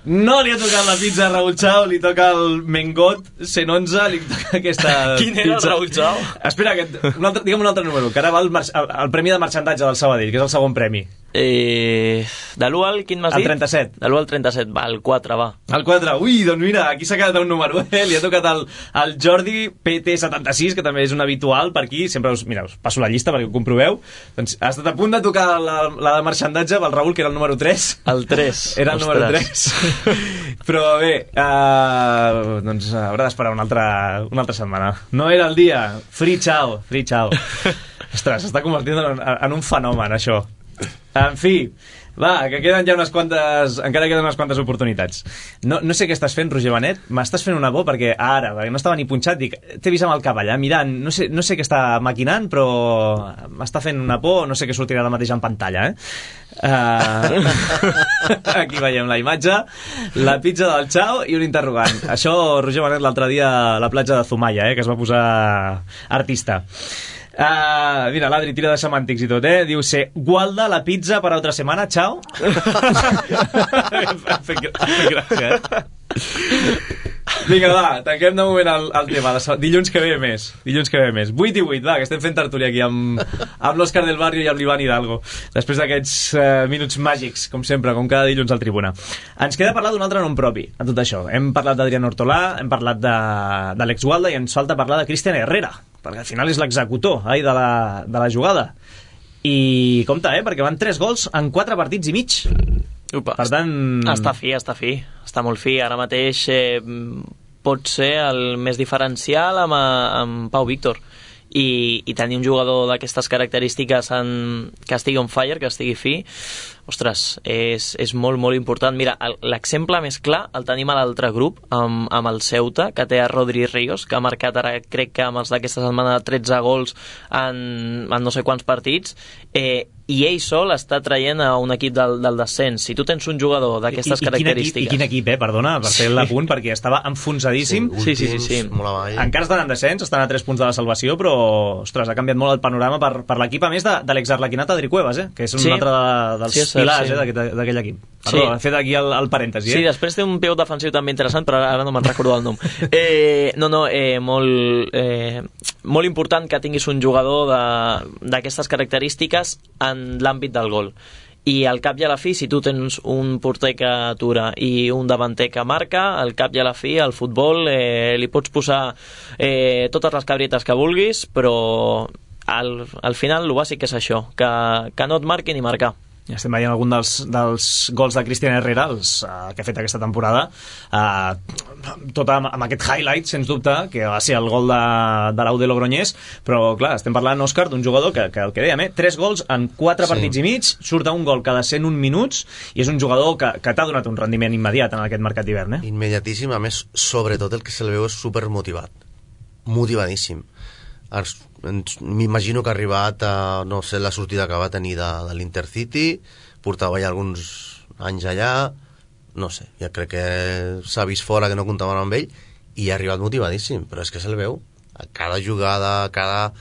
No li ha tocat la pizza a Raül Chao, li toca el Mengot cent onze, li toca aquesta Quin pizza. era el Raül Chao? Espera, que, un altre, digue'm un altre número, que ara va el, el, el premi de marxandatge del Sabadell, que és el segon premi. Eh, de l'u al, quin m'has dit? El trenta-set. De l'u al trenta-set, va, el quatre, va. El quatre, ui, doncs mira, aquí s'ha quedat un número, eh? Li ha tocat el, el Jordi P T setanta-sis, que també és un habitual per aquí, sempre us, mira, us passo la llista perquè ho comproveu. Doncs ha estat a punt de tocar la, la de marxandatge pel Raül, que era el número tres. El tres. Era el número tres. Però bé, uh, doncs haurà d'esperar una altra, una altra setmana. No era el dia. Free Chao, free Chao. Ostres, s'està convertint en, en un fenomen, això. En fi, va, que queden ja unes quantes... Encara queden unes quantes oportunitats. No, no sé què estàs fent, Roger Benet. M'estàs fent una por perquè ara, perquè no estava ni punxat, dic, t'he vist amb el cap allà mirant, no sé, no sé què està maquinant, però m'està fent una por, no sé què sortirà ara mateix en pantalla, eh? Uh... Aquí veiem la imatge, la pizza del Chao i un interrogant. Això, Roger Benet, l'altre dia a la platja de Zumaya, eh, que es va posar artista. Uh, mira, l'Adri tira de semàntics i tot, eh? Diu, se gualda la pizza per altra setmana, Chao. Fent gràcia, eh? Vinga, va, tanquem de moment el, el tema. Dilluns que ve més. Dilluns que ve més. vuit i vuit, va, que estem fent tertúlia aquí amb, amb l'Òscar del Barrio i amb l'Ivan Hidalgo. Després d'aquests uh, minuts màgics, com sempre, com cada dilluns al Tribuna. Ens queda parlar d'un altre nom propi, a tot això. Hem parlat d'Adrián Hortolà, hem parlat d'Àlex Gualda i ens falta parlar de Cristian Herrera, perquè al final és l'executor ai, de, la, de la jugada. I compte, eh? Perquè van tres gols en quatre partits i mig. Upa, per tant... Està fi, està fi. Està molt fi. Ara mateix eh, pot ser el més diferencial amb, amb Pau Víctor. I, i tenir un jugador d'aquestes característiques en, que estigui on fire, que estigui fi, ostres, és, és molt, molt important. Mira, l'exemple més clar el tenim a l'altre grup, amb, amb el Ceuta, que té a Rodri Ríos, que ha marcat ara, crec que amb els d'aquesta setmana, tretze gols en, en no sé quants partits, eh, i ell sol està traient a un equip del, del descens. Si tu tens un jugador d'aquestes característiques... I quin equip, eh? Perdona, per fer l'apunt, sí. Perquè estava enfonsadíssim. Sí, sí, sí, sí, sí. Encara estan en descens, estan a tres punts de la salvació, però, ostres, ha canviat molt el panorama per, per l'equip, a més de, de l'exarlequinat Adri Cuevas, eh? Que és un sí. altre de, dels sí, pilars sí. eh, d'aquell equip. Perdó, sí. he fet aquí el, el parèntesi. Eh? Sí, després té un peu defensiu també interessant, però ara no me'n recordo el nom. Eh, no, no, eh, molt, eh, molt important que tinguis un jugador d'aquestes característiques en l'àmbit del gol. i al cap i a la fi, si tu tens un porter que atura i un davanter que marca, al cap i a la fi al futbol eh, li pots posar eh, totes les cabrietes que vulguis, però al, al final el bàsic és això, que, que no et marquin i marcar. Ja estem veient algun dels, dels gols de Cristian Herrera, els, uh, que ha fet aquesta temporada, uh, tot amb, amb aquest highlight, sens dubte, que va ser el gol de, de l'U de Logroñés, però clar, estem parlant, Òscar, d'un jugador que, que el que dèiem, eh, tres gols en quatre sí. partits i mig, surt a un gol cada cent un minuts, i és un jugador que, que t'ha donat un rendiment immediat en aquest mercat d'hivern. Eh? Immediatíssim, a més, sobretot el que se li veu és supermotivat, motivadíssim. M'imagino que ha arribat a, no sé, la sortida que va tenir de, de l'Intercity, portava ja alguns anys allà, no sé, ja crec que s'ha vist fora que no comptaven amb ell i ha arribat motivadíssim, però és que se'l veu a cada jugada, a cada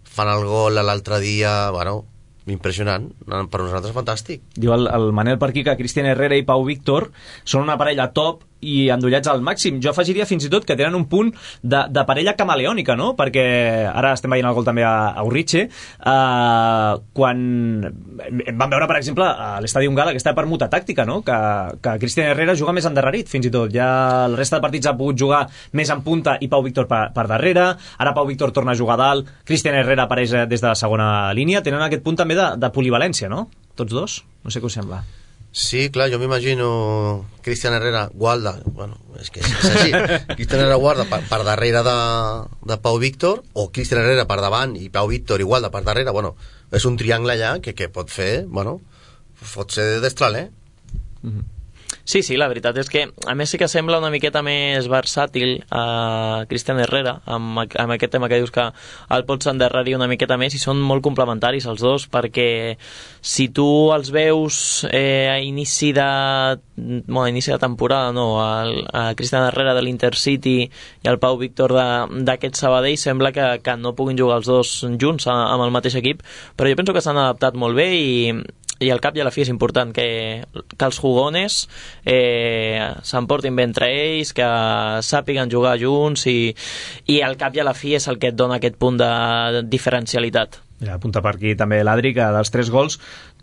fan el gol l'altre dia, bueno, impressionant, per nosaltres fantàstic. Diu el, el Manel per aquí que Cristian Herrera i Pau Víctor són una parella top i endollats al màxim. Jo afegiria fins i tot que tenen un punt de, de parella camaleònica, no? Perquè ara estem veient el gol també a, a Urritxe, uh, quan vam veure, per exemple, a l'Estadi Ungala aquesta permuta tàctica, no? Que, que Cristian Herrera juga més endarrerit, fins i tot. Ja la resta de partits ha pogut jugar més en punta i Pau Víctor per, per darrere. Ara Pau Víctor torna a jugar dalt, Cristian Herrera apareix des de la segona línia. Tenen aquest punt també de, de polivalència, no? Tots dos? No sé què us sembla. Sí, clar, jo m'imagino Cristian Herrera, Gualda, bueno, és que és així, Cristian Herrera Guarda per, per darrere de, de Pau Víctor, o Cristian Herrera per davant i Pau Víctor i Gualda per darrere, bueno, és un triangle allà que, que pot fer, bueno, pot ser destral, eh? Mm-hmm. Sí, sí, la veritat és que a més sí que sembla una miqueta més versàtil a Cristian Herrera amb, amb aquest tema que dius que el pots endarrerir una miqueta més i són molt complementaris els dos, perquè si tu els veus eh, a inici de bueno, a inici de temporada, no, el, a Cristian Herrera de l'Intercity i el Pau Víctor d'aquest Sabadell, sembla que, que no puguin jugar els dos junts a, amb el mateix equip, però jo penso que s'han adaptat molt bé i i al cap i a la fi és important que, que els jugones eh, s'emportin bé entre ells, que sàpiguen jugar junts i, i al cap i a la fi és el que et dona aquest punt de diferencialitat. Mira, apunta per aquí també l'Adri, que dels tres gols,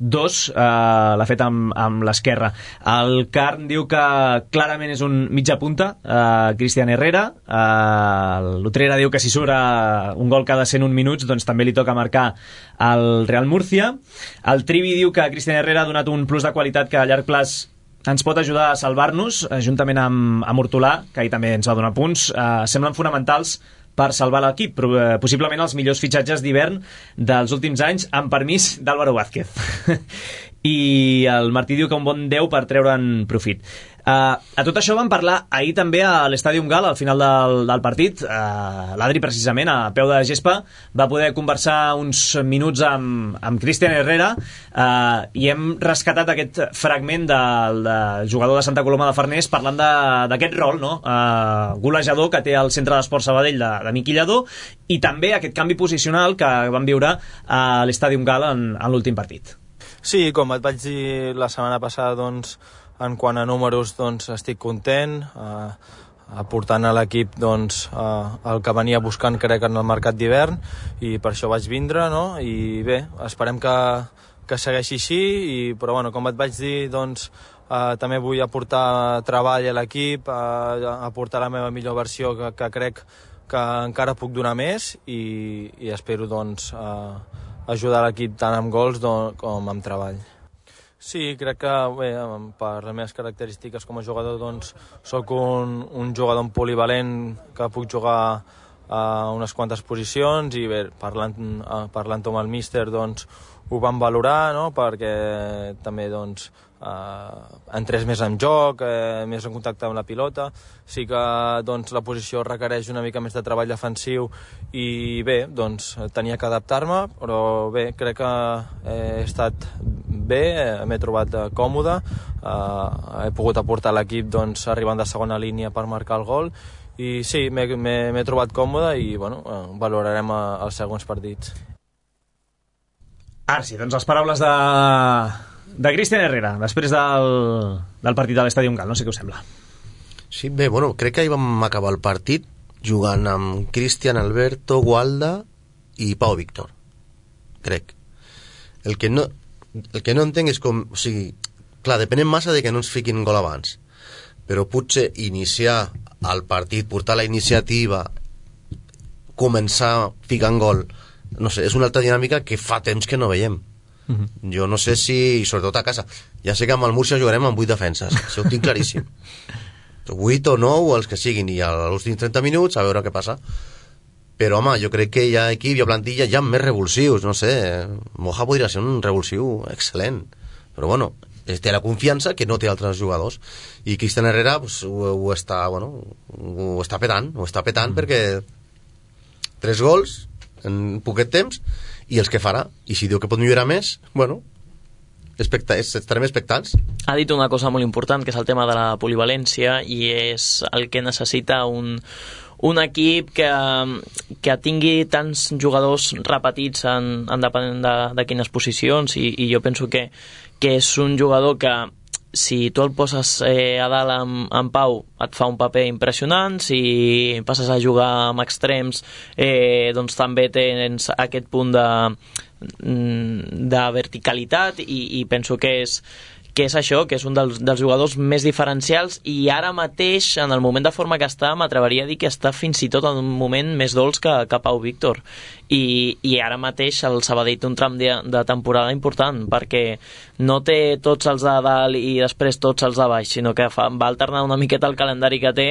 dos eh, l'ha fet amb, amb l'esquerra. El Carn diu que clarament és un mitja punta, eh, Cristian Herrera. Eh, L'Utrera diu que si surt eh, un gol cada cent un minuts, doncs també li toca marcar el Real Murcia. El Trivi diu que Cristian Herrera ha donat un plus de qualitat que a llarg plaç ens pot ajudar a salvar-nos, eh, juntament amb, amb Hortolà, que ahir també ens va donar punts. Eh, semblen fonamentals per salvar l'equip, possiblement els millors fitxatges d'hivern dels últims anys, amb permís d'Álvaro Vázquez. I el Martí diu que un bon deu per treure'n profit. Uh, a tot això vam parlar ahir també a l'Estadi Ungala, al final del, del partit. Uh, L'Adri, precisament, a peu de gespa, va poder conversar uns minuts amb, amb Cristian Herrera uh, i hem rescatat aquest fragment del, del jugador de Santa Coloma de Farners parlant d'aquest rol, no? Uh, golejador que té el Centre d'Esport Sabadell de, de Miqui Lladó, i també aquest canvi posicional que vam viure a l'Estadi Ungala en, en l'últim partit. Sí, com et vaig dir la setmana passada, doncs, en quant a números, doncs, estic content, eh, aportant a l'equip, doncs, eh, el que venia buscant, crec, en el mercat d'hivern, i per això vaig vindre, no? I bé, esperem que, que segueixi així, i, però bueno, com et vaig dir, doncs, eh, també vull aportar treball a l'equip, eh, aportar la meva millor versió, que, que crec que encara puc donar més, i, i espero, doncs, eh, ajudar l'equip tant amb gols com amb treball. Sí, crec que bé, per les meves característiques com a jugador, doncs, soc un, un jugador polivalent que puc jugar a unes quantes posicions, i bé, parlant, parlant amb el míster, doncs, ho vam valorar, no?, perquè també, doncs, eh, entrés més en joc, eh, més en contacte amb la pilota. Sí que, doncs, la posició requereix una mica més de treball defensiu i bé, doncs, tenia que adaptar-me, però bé, crec que he estat bé, m'he trobat còmode, eh, he pogut aportar a l'equip, doncs, arribant de segona línia per marcar el gol, i sí, m'he trobat còmode i bueno, valorarem els següents partits. Ara sí, doncs les paraules de, de Cristian Herrera després del, del partit de l'Estadi Ungala, no sé què us sembla. Sí, bé, bueno, crec que ahir vam acabar el partit jugant amb Cristian, Alberto, Gualda i Pau Víctor, crec. El que no... el que no entenc és com, o sigui, clar, depenem massa de que no ens fiquin gol abans, però potser iniciar el partit, portar la iniciativa, començar ficant gol, no sé, és una altra dinàmica que fa temps que no veiem. Uh-huh. Jo no sé si, sobretot a casa, ja sé que amb el Múrcia jugarem amb vuit defenses, això ho tinc claríssim, vuit o nou, els que siguin, i a l'últims trenta minuts a veure què passa. Però home, jo crec que hi ha equip, hi ha plantilla, hi ha més revulsius, no sé, Moja podria ser un revulsiu excel·lent, però bueno, té la confiança que no té altres jugadors, i Cristian Herrera pues, ho, ho està, bueno, ho està petant, ho està petant mm. perquè tres gols en poquet temps, i els que farà, i si diu que pot millorar més, bueno, expecta, estarem expectants. Ha dit una cosa molt important, que és el tema de la polivalència, i és el que necessita un, un equip que, que tingui tants jugadors repetits en, en depenent de, de quines posicions, i, i jo penso que, que és un jugador que si tu el poses eh, a dalt amb, amb Pau et fa un paper impressionant, si passes a jugar amb extrems eh, doncs també tens aquest punt de, de verticalitat, i, i penso que és que és això, que és un dels, dels jugadors més diferencials, i ara mateix, en el moment de forma que està, m'atreveria a dir que està fins i tot en un moment més dolç que, que Pau Víctor. I, i ara mateix el Sabadell té un tram de, de temporada important, perquè no té tots els de dalt i després tots els de baix, sinó que fa, va alternar una miqueta el calendari que té,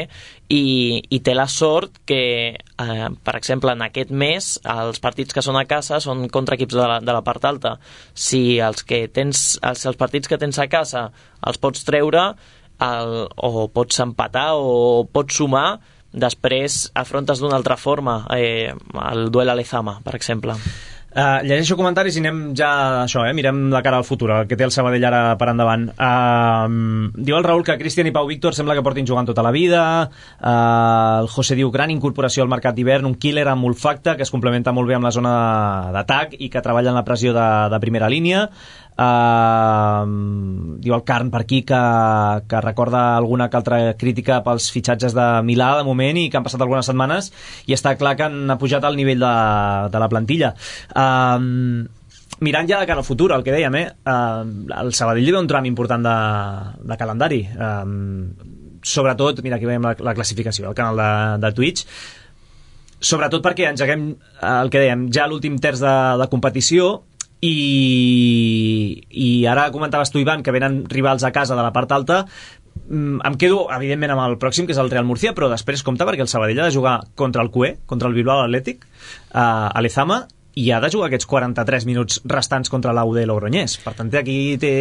i, i té la sort que, eh, per exemple, en aquest mes els partits que són a casa són contra equips de la, de la part alta. Si els, que tens, els, els partits que tens a casa els pots treure, el, o pots empatar o pots sumar, després afrontes d'una altra forma eh, el duel a Lezama, per exemple. Uh, llegeixo comentaris i anem ja això, eh? Mirem la cara al futur, el que té el Sabadell ara per endavant. Uh, diu el Raül que Cristian i Pau Víctor sembla que portin jugant tota la vida. Uh, el José diu gran incorporació al mercat d'hivern, un killer amb olfacte que es complementa molt bé amb la zona d'atac i que treballa en la pressió de, de primera línia. Uh, diu el Carn per aquí que, que recorda alguna que altra crítica pels fitxatges de Milà de moment i que han passat algunes setmanes i està clar que han pujat al nivell de, de la plantilla. Uh, mirant ja de cara al futur, el que dèiem, eh? Uh, el Sabadell li ve un tram important de, de calendari, uh, sobretot, mira aquí veiem la, la classificació al canal de, de Twitch, sobretot perquè engeguem uh, el que dèiem, ja l'últim terç de, de competició. I, i ara comentaves tu, Ivan, que venen rivals a casa de la part alta. Em quedo evidentment amb el pròxim, que és el Real Murcia, però després compta perquè el Sabadell ha de jugar contra el Q E, contra el Bilbao Athletic, a Lezama, i ha de jugar aquests quaranta-tres minuts restants contra l'A U D Logroñés. Per tant, aquí té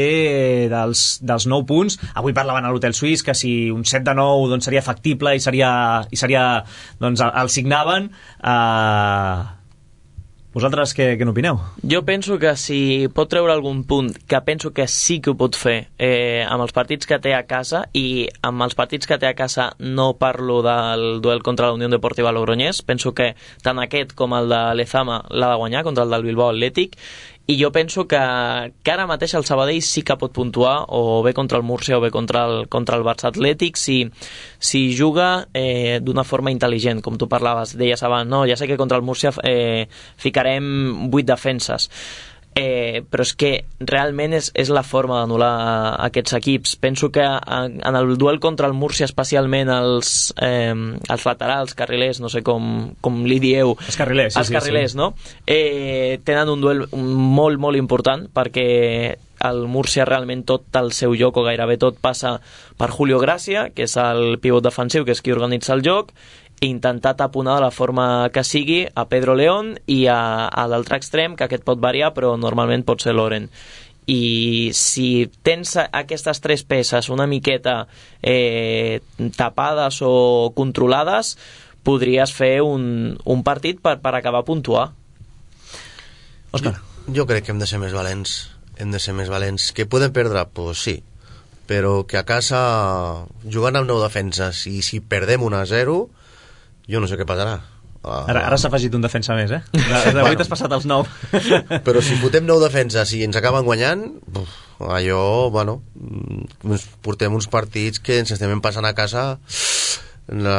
dels, dels nou punts. Avui parlaven a l'Hotel Suís que si un set de nou doncs, seria factible i seria, i seria doncs, el signaven. eh... Vosaltres què, què n'opineu? Jo penso que si pot treure algun punt, que penso que sí que ho pot fer eh, amb els partits que té a casa, i amb els partits que té a casa no parlo del duel contra la Unió Deportiva Logroñés, penso que tant aquest com el de Lezama l'ha de guanyar contra el del Bilbao Athletic, i jo penso que, que ara mateix el Sabadell sí que pot puntuar, o bé contra el Múrcia o bé contra el, contra el Barça Atlètic, si, si juga eh, d'una forma intel·ligent, com tu parlaves, deies abans, no, ja sé que contra el Múrcia eh, ficarem vuit defenses, eh, però és que realment és, és la forma d'anul·lar aquests equips. Penso que en, en el duel contra el Múrcia, especialment els, eh, els laterals, carrilers, no sé com, com li dieu, els carrilers, sí, els carrilers, sí, sí. No? Eh, tenen un duel molt, molt important, perquè el Múrcia realment tot el seu joc, o gairebé tot, passa per Julio Gracia, que és el pivot defensiu, que és qui organitza el joc, i intentar taponar de la forma que sigui a Pedro León i a, a l'altre extrem, que aquest pot variar, però normalment pot ser Loren. I si tens aquestes tres peces una miqueta eh, tapades o controlades, podries fer un, un partit per, per acabar a puntuar. Òscar. Jo, jo crec que hem de ser més valents. Hem de ser més valents. Que podem perdre? Pues sí. Però que a casa, jugant amb nou defenses, i si perdem un a zero, jo no sé què passarà. Uh, ara ara s'ha afegit un defensa més, eh? De, de vuit has passat als nou. Però si fotem nou defenses i ens acaben guanyant, uf, allò, bueno, portem uns partits que ens estem passant a casa una,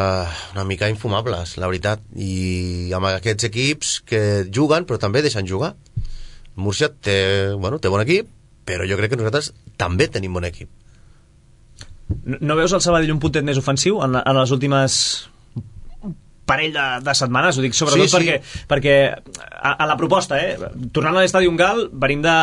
una mica infumables, la veritat. I amb aquests equips que juguen, però també deixen jugar. Múrcia té, bueno, té bon equip, però jo crec que nosaltres també tenim bon equip. No, no veus el Sabadell un puntet més ofensiu en, en les últimes parell de, de setmanes? Ho dic sobretot sí, sí. perquè, perquè a, a la proposta, eh? Tornant a l'estadi Gal, venim de,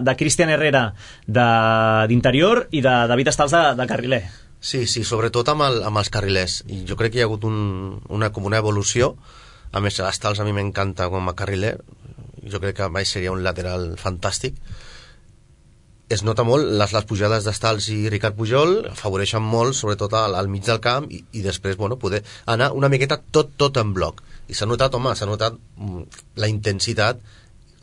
de Cristian Herrera d'interior i de David Estals de, de carriler. Sí, sí, sobretot amb, el, amb els carrilers. I jo crec que hi ha hagut un, una, com una evolució. A més, Estals a mi m'encanta com a carriler. Jo crec que mai seria un lateral fantàstic. Es nota molt, les, les pujades d'Estals i Ricard Pujol afavoreixen molt, sobretot al, al mig del camp, i, i després, bueno, poder anar una miqueta tot, tot en bloc. I s'ha notat, home, s'ha notat mm, la intensitat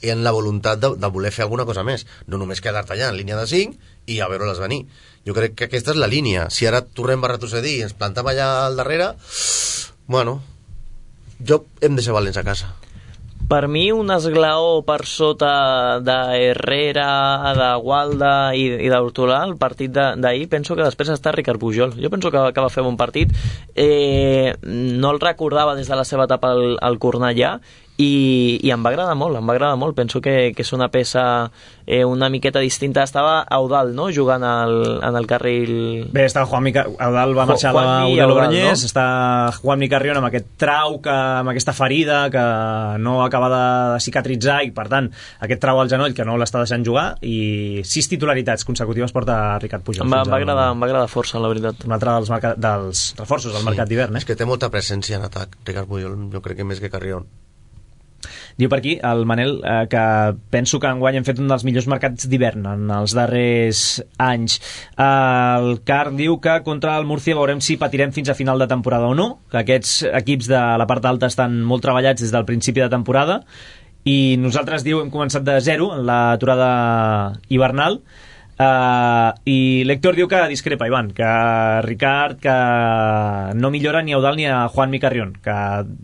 i en la voluntat de, de voler fer alguna cosa més. No només quedar-te allà en línia de cinc i a veure-les venir. Jo crec que aquesta és la línia. Si ara tornem a retrocedir i ens plantem allà al darrere, bueno, jo hem de ser valents a casa. Per mi un esglaó per sota de Herrera, de Gualda i, i d'Hortolà, el partit d'ahir, penso que després està Ricard Pujol. Jo penso que, que va fer bon partit. Eh, no el recordava des de la seva etapa al, al Cornellà i, i em va agradar molt, em va agradar molt. Penso que, que és una peça eh, una miqueta distinta. Estava Eudal, no?, jugant al, en el carril... Bé, està Juanmi... Eudal va marxar a la Logroñés, no? Està Juanmi Carrión amb aquest trau, que, amb aquesta ferida que no acaba de cicatritzar i, per tant, aquest trau al genoll que no l'està deixant jugar, i sis titularitats consecutives porta Ricard Pujol. Em va, va, agradar, em va agradar força, la veritat. Un altre dels, marca, dels reforços del sí, mercat d'hivern, eh? És que té molta presència en atac, Ricard Pujol, jo crec que més que Carrión. Diu per aquí el Manel eh, que penso que enguany hem fet un dels millors mercats d'hivern en els darrers anys. Eh, el Car diu que contra el Murcia veurem si patirem fins a final de temporada o no, que aquests equips de la part alta estan molt treballats des del principi de temporada, i nosaltres, diu, hem començat de zero en l'aturada hivernal. Uh, i l'Héctor diu que discrepa, Ivan, que Ricard que no millora ni a Eudal ni a Juanmi Carrión, que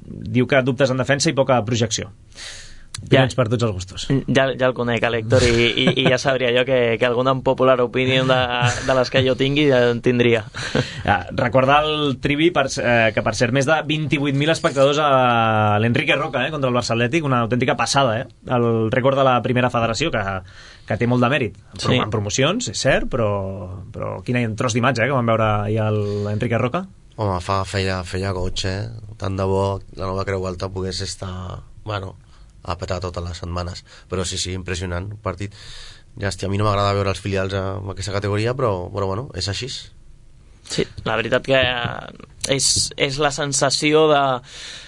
diu que dubtes en defensa i poca projecció. Ja, per tots els gustos. Ja, ja el conec, l'Héctor, i, i, i ja sabria jo que, que alguna popular opinió de, de les que jo tingui ja en tindria. Ja, recordar el Trivi per, eh, que per ser més de vint-i-vuit mil espectadors a l'Enrique Roca, eh, contra el Barça Atlètic, una autèntica passada, eh? El rècord de la primera federació, que, que té molt de mèrit. Sí. En promocions, és cert, però, però quin tros d'imatge, eh, que vam veure ahir l'Enrique Roca. Home, fa, feia, feia goig, eh? Tant de bo la nova Creu Alta pogués estar... Bueno, a petar totes les setmanes, però sí, sí, impressionant un partit. Llàstima, a mi no m'agrada veure els filials en aquesta categoria, però, però bueno, és així. Sí, la veritat que és, és la sensació de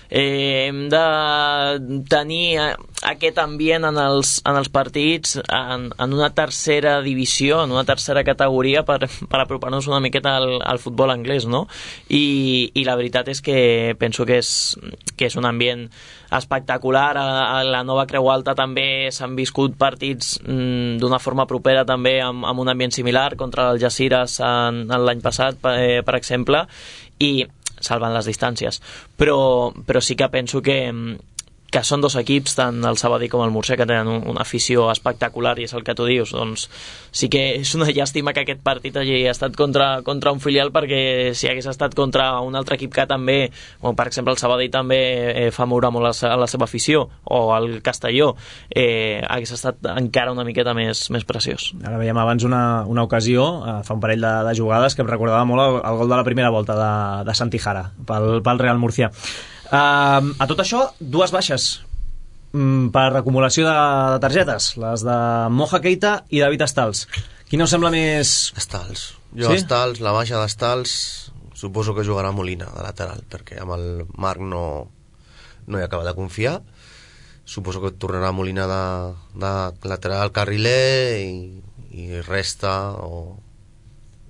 eh, hem de tenir aquest ambient en els, en els partits en, en una tercera divisió, en una tercera categoria per, per apropar-nos una miqueta al, al futbol anglès, no? I, i la veritat és que penso que és, que és un ambient espectacular. A, a la nova Creu Alta també s'han viscut partits mm, d'una forma propera també amb, amb un ambient similar contra el Algeciras en, en l'any passat, per, eh, per exemple, i salvant les distàncies, però, però sí que penso que, que són dos equips, tant el Sabadell com el Murcia, que tenen un, una afició espectacular, i és el que tu dius. Doncs sí que és una llàstima que aquest partit hagi estat contra, contra un filial, perquè si hagués estat contra un altre equip que també, o per exemple el Sabadell també eh, fa moure molt la, la seva afició, o el Castelló, eh, hagués estat encara una miqueta més, més preciós. Ara veiem abans una, una ocasió, eh, fa un parell de, de jugades, que em recordava molt el, el gol de la primera volta de, de Santijara pel, pel Real Murcia. Uh, a tot això, dues baixes um, per acumulació de, de targetes, les de Moja Keita i David Estals. Qui no sembla més... Estals. Jo sí? Estals, la baixa d'Estals, suposo que jugarà Molina de lateral, perquè amb el Marc no, no hi acaba de confiar. Suposo que tornarà Molina de, de lateral carriler i, i resta o...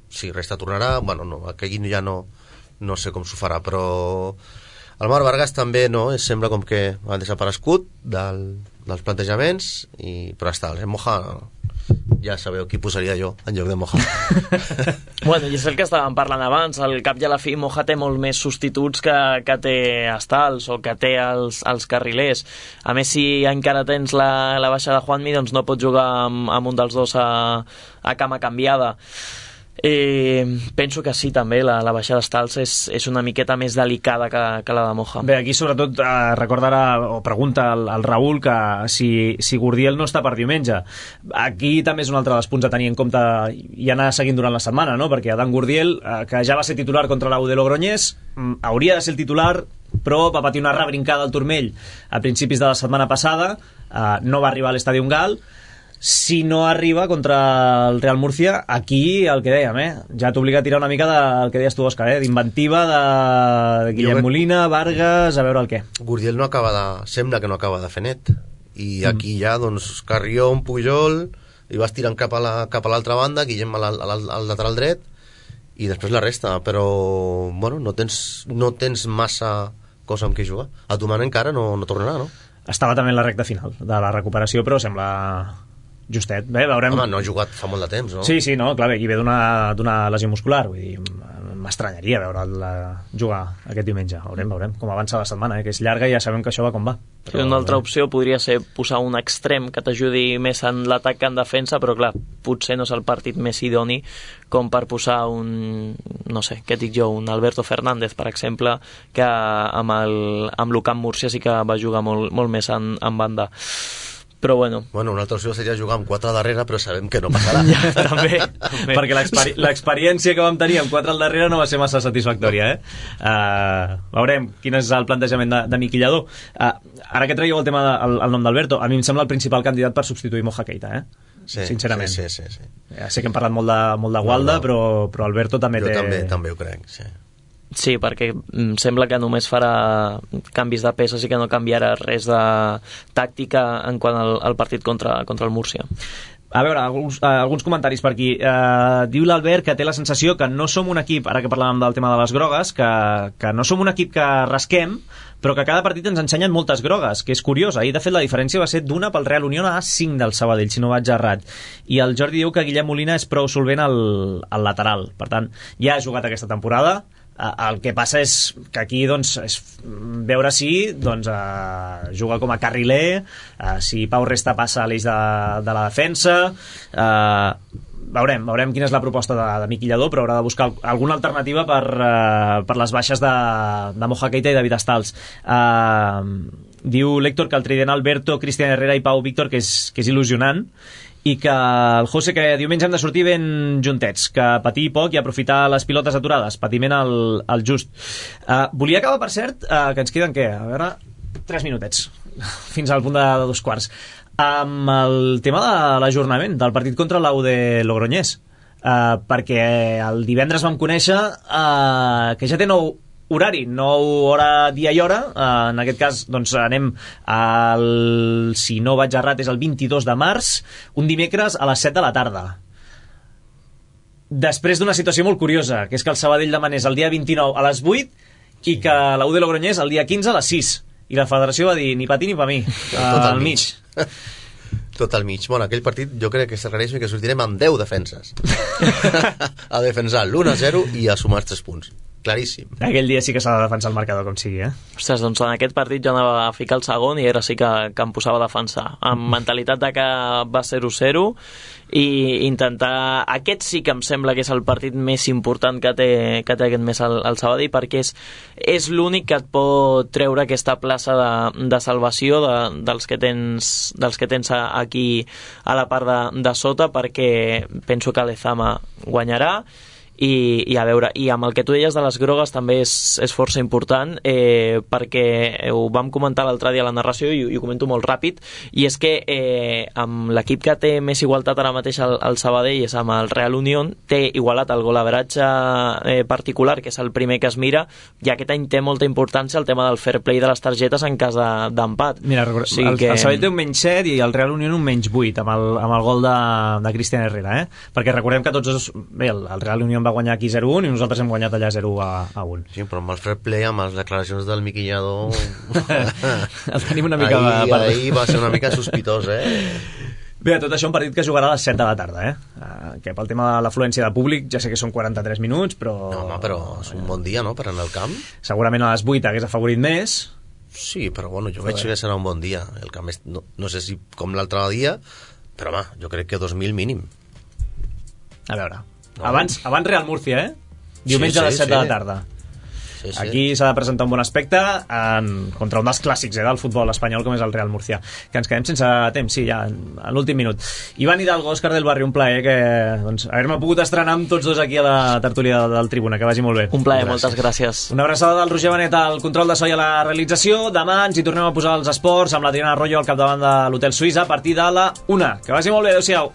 Sí, resta tornarà. Bueno, no, aquí ja no, no sé com s'ho farà, però... El Marc Vargas també, no? Sembla com que ha desaparegut del, dels plantejaments, i, però està, el Moja, ja sabeu qui posaria jo en lloc de Moja. Bueno, i és el que estàvem parlant abans, al cap i a la fi Moja té molt més substituts que, que té Estals o que té els, els carrilers. A més, si encara tens la, la baixa de Juanmi, doncs no pots jugar amb, amb un dels dos a, a cama canviada. Eh, penso que sí, també la, la baixada d'estals és, és una miqueta més delicada que, que la de Moja. Bé, aquí sobretot eh, recordarà o pregunta al, al Raül que si, si Gurdiel no està per diumenge. Aquí també és un altre dels punts a tenir en compte i anar seguint durant la setmana, no? Perquè Adán Gurdiel, eh, que ja va ser titular contra l'U de Logroñés, mm, hauria de ser el titular, però va patir una rebrincada al turmell a principis de la setmana passada, eh, no va arribar a l'Estadi Gal. Si no arriba contra el Real Murcia, aquí el que dèiem, eh? Ja t'obliga a tirar una mica del que deies tu, Òscar, eh? D'inventiva de Guillem Molina, Vargas, a veure el què. Gurdiel no acaba de... sembla que no acaba de fer net. I aquí mm. ja, doncs, Carrión, Pujol, i vas tirant cap a la, cap a l'altra banda, Guillem al, al, al lateral dret, i després la resta, però, bueno, no tens, no tens massa cosa amb què jugar. A Tuman encara no, no tornarà, no? Estava també en la recta final de la recuperació, però sembla... justet, bé, veurem... Home, no ha jugat fa molt de temps, no? Sí, sí, no, clar, bé, i ve d'una lesió muscular, vull dir, m'estranyaria veure'l jugar aquest diumenge, veurem, veurem com avança la setmana, eh, que és llarga i ja sabem que això va com va. Però, una altra opció podria ser posar un extrem que t'ajudi més en l'atac que en defensa, però clar, potser no és el partit més idoni com per posar un, no sé, què dic jo, un Alberto Fernández, per exemple, que amb el amb l'U-Camp Múrcia sí que va jugar molt, molt més en, en banda. Però bueno. Bueno, una altra opció seria jugar amb quatre al darrere, però sabem que no passarà. Ja, també, també. Perquè l'experiència que vam tenir amb quatre al darrere no va ser massa satisfactòria, eh? Uh, veurem quin és el plantejament de, de Miqui Lladó. Uh, ara que traieu el tema de, el, el nom d'Alberto, a mi em sembla el principal candidat per substituir Moja Keita, eh? Sí, sincerament. Sí, sí, sí, sí. Ja sé que hem parlat molt de, molt de Gualda, no, no. Però, però Alberto també jo té... Jo també, també ho crec, sí. Sí, perquè sembla que només farà canvis de peces i que no canviarà res de tàctica en quant al, al partit contra, contra el Múrcia. A veure, alguns, eh, alguns comentaris per aquí. Eh, diu l'Albert que té la sensació que no som un equip, ara que parlàvem del tema de les grogues, que, que no som un equip que rasquem, però que cada partit ens ensenyen moltes grogues, que és curiós. Ahir, de fet, la diferència va ser d'una pel Real Unión a cinc del Sabadell, si no vaig errat. I el Jordi diu que Guillem Molina és prou solvent al, al lateral. Per tant, ja ha jugat aquesta temporada. El que passa és que aquí doncs, és veure si doncs, uh, juga com a carriler, uh, si Pau Resta passa a l'eix de, de la defensa, uh, veurem, veurem quina és la proposta de, de Miqui Lladó, però haurà de buscar alguna alternativa per, uh, per les baixes de, de Moja Keita i David Stals. Uh, diu l'Héctor que el trident Alberto, Cristian Herrera i Pau Víctor que és, que és il·lusionant, i que el José que diumenge hem de sortir ben juntets, que patir poc i aprofitar les pilotes aturades, patiment al, al just. Uh, volia acabar, per cert, uh, que ens queden, què? A veure, tres minutets, fins al punt de, de dos quarts, amb el tema de l'ajornament del partit contra l'U de Logroñés, uh, perquè el divendres vam conèixer uh, que ja té nou horari, nou hora, dia i hora. Uh, en aquest cas doncs anem al, si no vaig errat és el vint-i-dos de març, un dimecres a les set de la tarda, després d'una situació molt curiosa, que és que el Sabadell demanés el dia vint-i-nou a les vuit i que l'U de Logroñés el dia quinze a les sis, i la federació va dir ni pa ti ni pa mi, uh, al mig. Tot al mig. Bueno, aquell partit jo crec que s'arregeix que sortirem amb deu defenses a defensar l'u a zero i a sumar tres punts. Claríssim. Aquell dia sí que s'ha de defensar el marcador com sigui, eh? Ostres, doncs en aquest partit jo anava a ficar el segon i era sí que, que em posava a defensar, amb mentalitat de que va zero zero, i intentar... Aquest sí que em sembla que és el partit més important que té, que té aquest mes el, el Sabadell, perquè és, és l'únic que et pot treure aquesta plaça de, de salvació de, dels, que tens, dels que tens aquí a la part de, de sota, perquè penso que l'Ezama guanyarà. I, i a veure, i amb el que tu deies de les grogues també és, és força important, eh, perquè ho vam comentar l'altre dia a la narració i, i ho comento molt ràpid, i és que eh, amb l'equip que té més igualtat ara mateix el, el Sabadell és amb el Real Unión, té igualat el golaveratge eh, particular, que és el primer que es mira, i aquest any té molta importància el tema del fair play de les targetes en cas d'empat. De, Mira, o sigui el, que... el Sabadell té un menys set i el Real Unión un menys vuit amb el, amb el gol de, de Cristian Herrera, eh? Perquè recordem que tots els, bé, el, el Real Unión va guanyar aquí zero un i nosaltres hem guanyat allà zero a un. Sí, però amb el fair play, amb les declaracions del Miqui Lladó el tenim una mica... Ahir, per... ahir va ser una mica sospitós, eh? Bé, tot això un partit que jugarà a les set de la tarda, eh? Uh, que pel tema de l'afluència de públic ja sé que són quaranta-tres minuts, però... No, home, però és un bon dia, no?, per anar al camp. Segurament a les vuit hagués afavorit més. Sí, però bueno, jo veig que serà un bon dia. El camp és, no, no sé si com l'altre dia, però home, jo crec que dos mil mínim. A veure... No. Abans, abans Real Múrcia, eh? Diumenge sí, sí, a les set sí. de la tarda. Sí, sí. Aquí s'ha de presentar un bon aspecte en, contra un dels clàssics eh, del futbol espanyol, com és el Real Múrcia. Que ens quedem sense temps, sí, ja, a l'últim minut. Ivan Hidalgo, Òscar del Barri, un plaer que, doncs, haver-me pogut estrenar amb tots dos aquí a la tertúlia del, del Tribuna, que vagi molt bé. Un plaer, gràcies. Moltes gràcies. Una abraçada del Roger Benet al control de so i a la realització. Demà ens hi tornem a posar els esports amb la Diana Arroyo al capdavant de l'Hotel Suïssa a partir de la una. Que vagi molt bé, adeu-siau.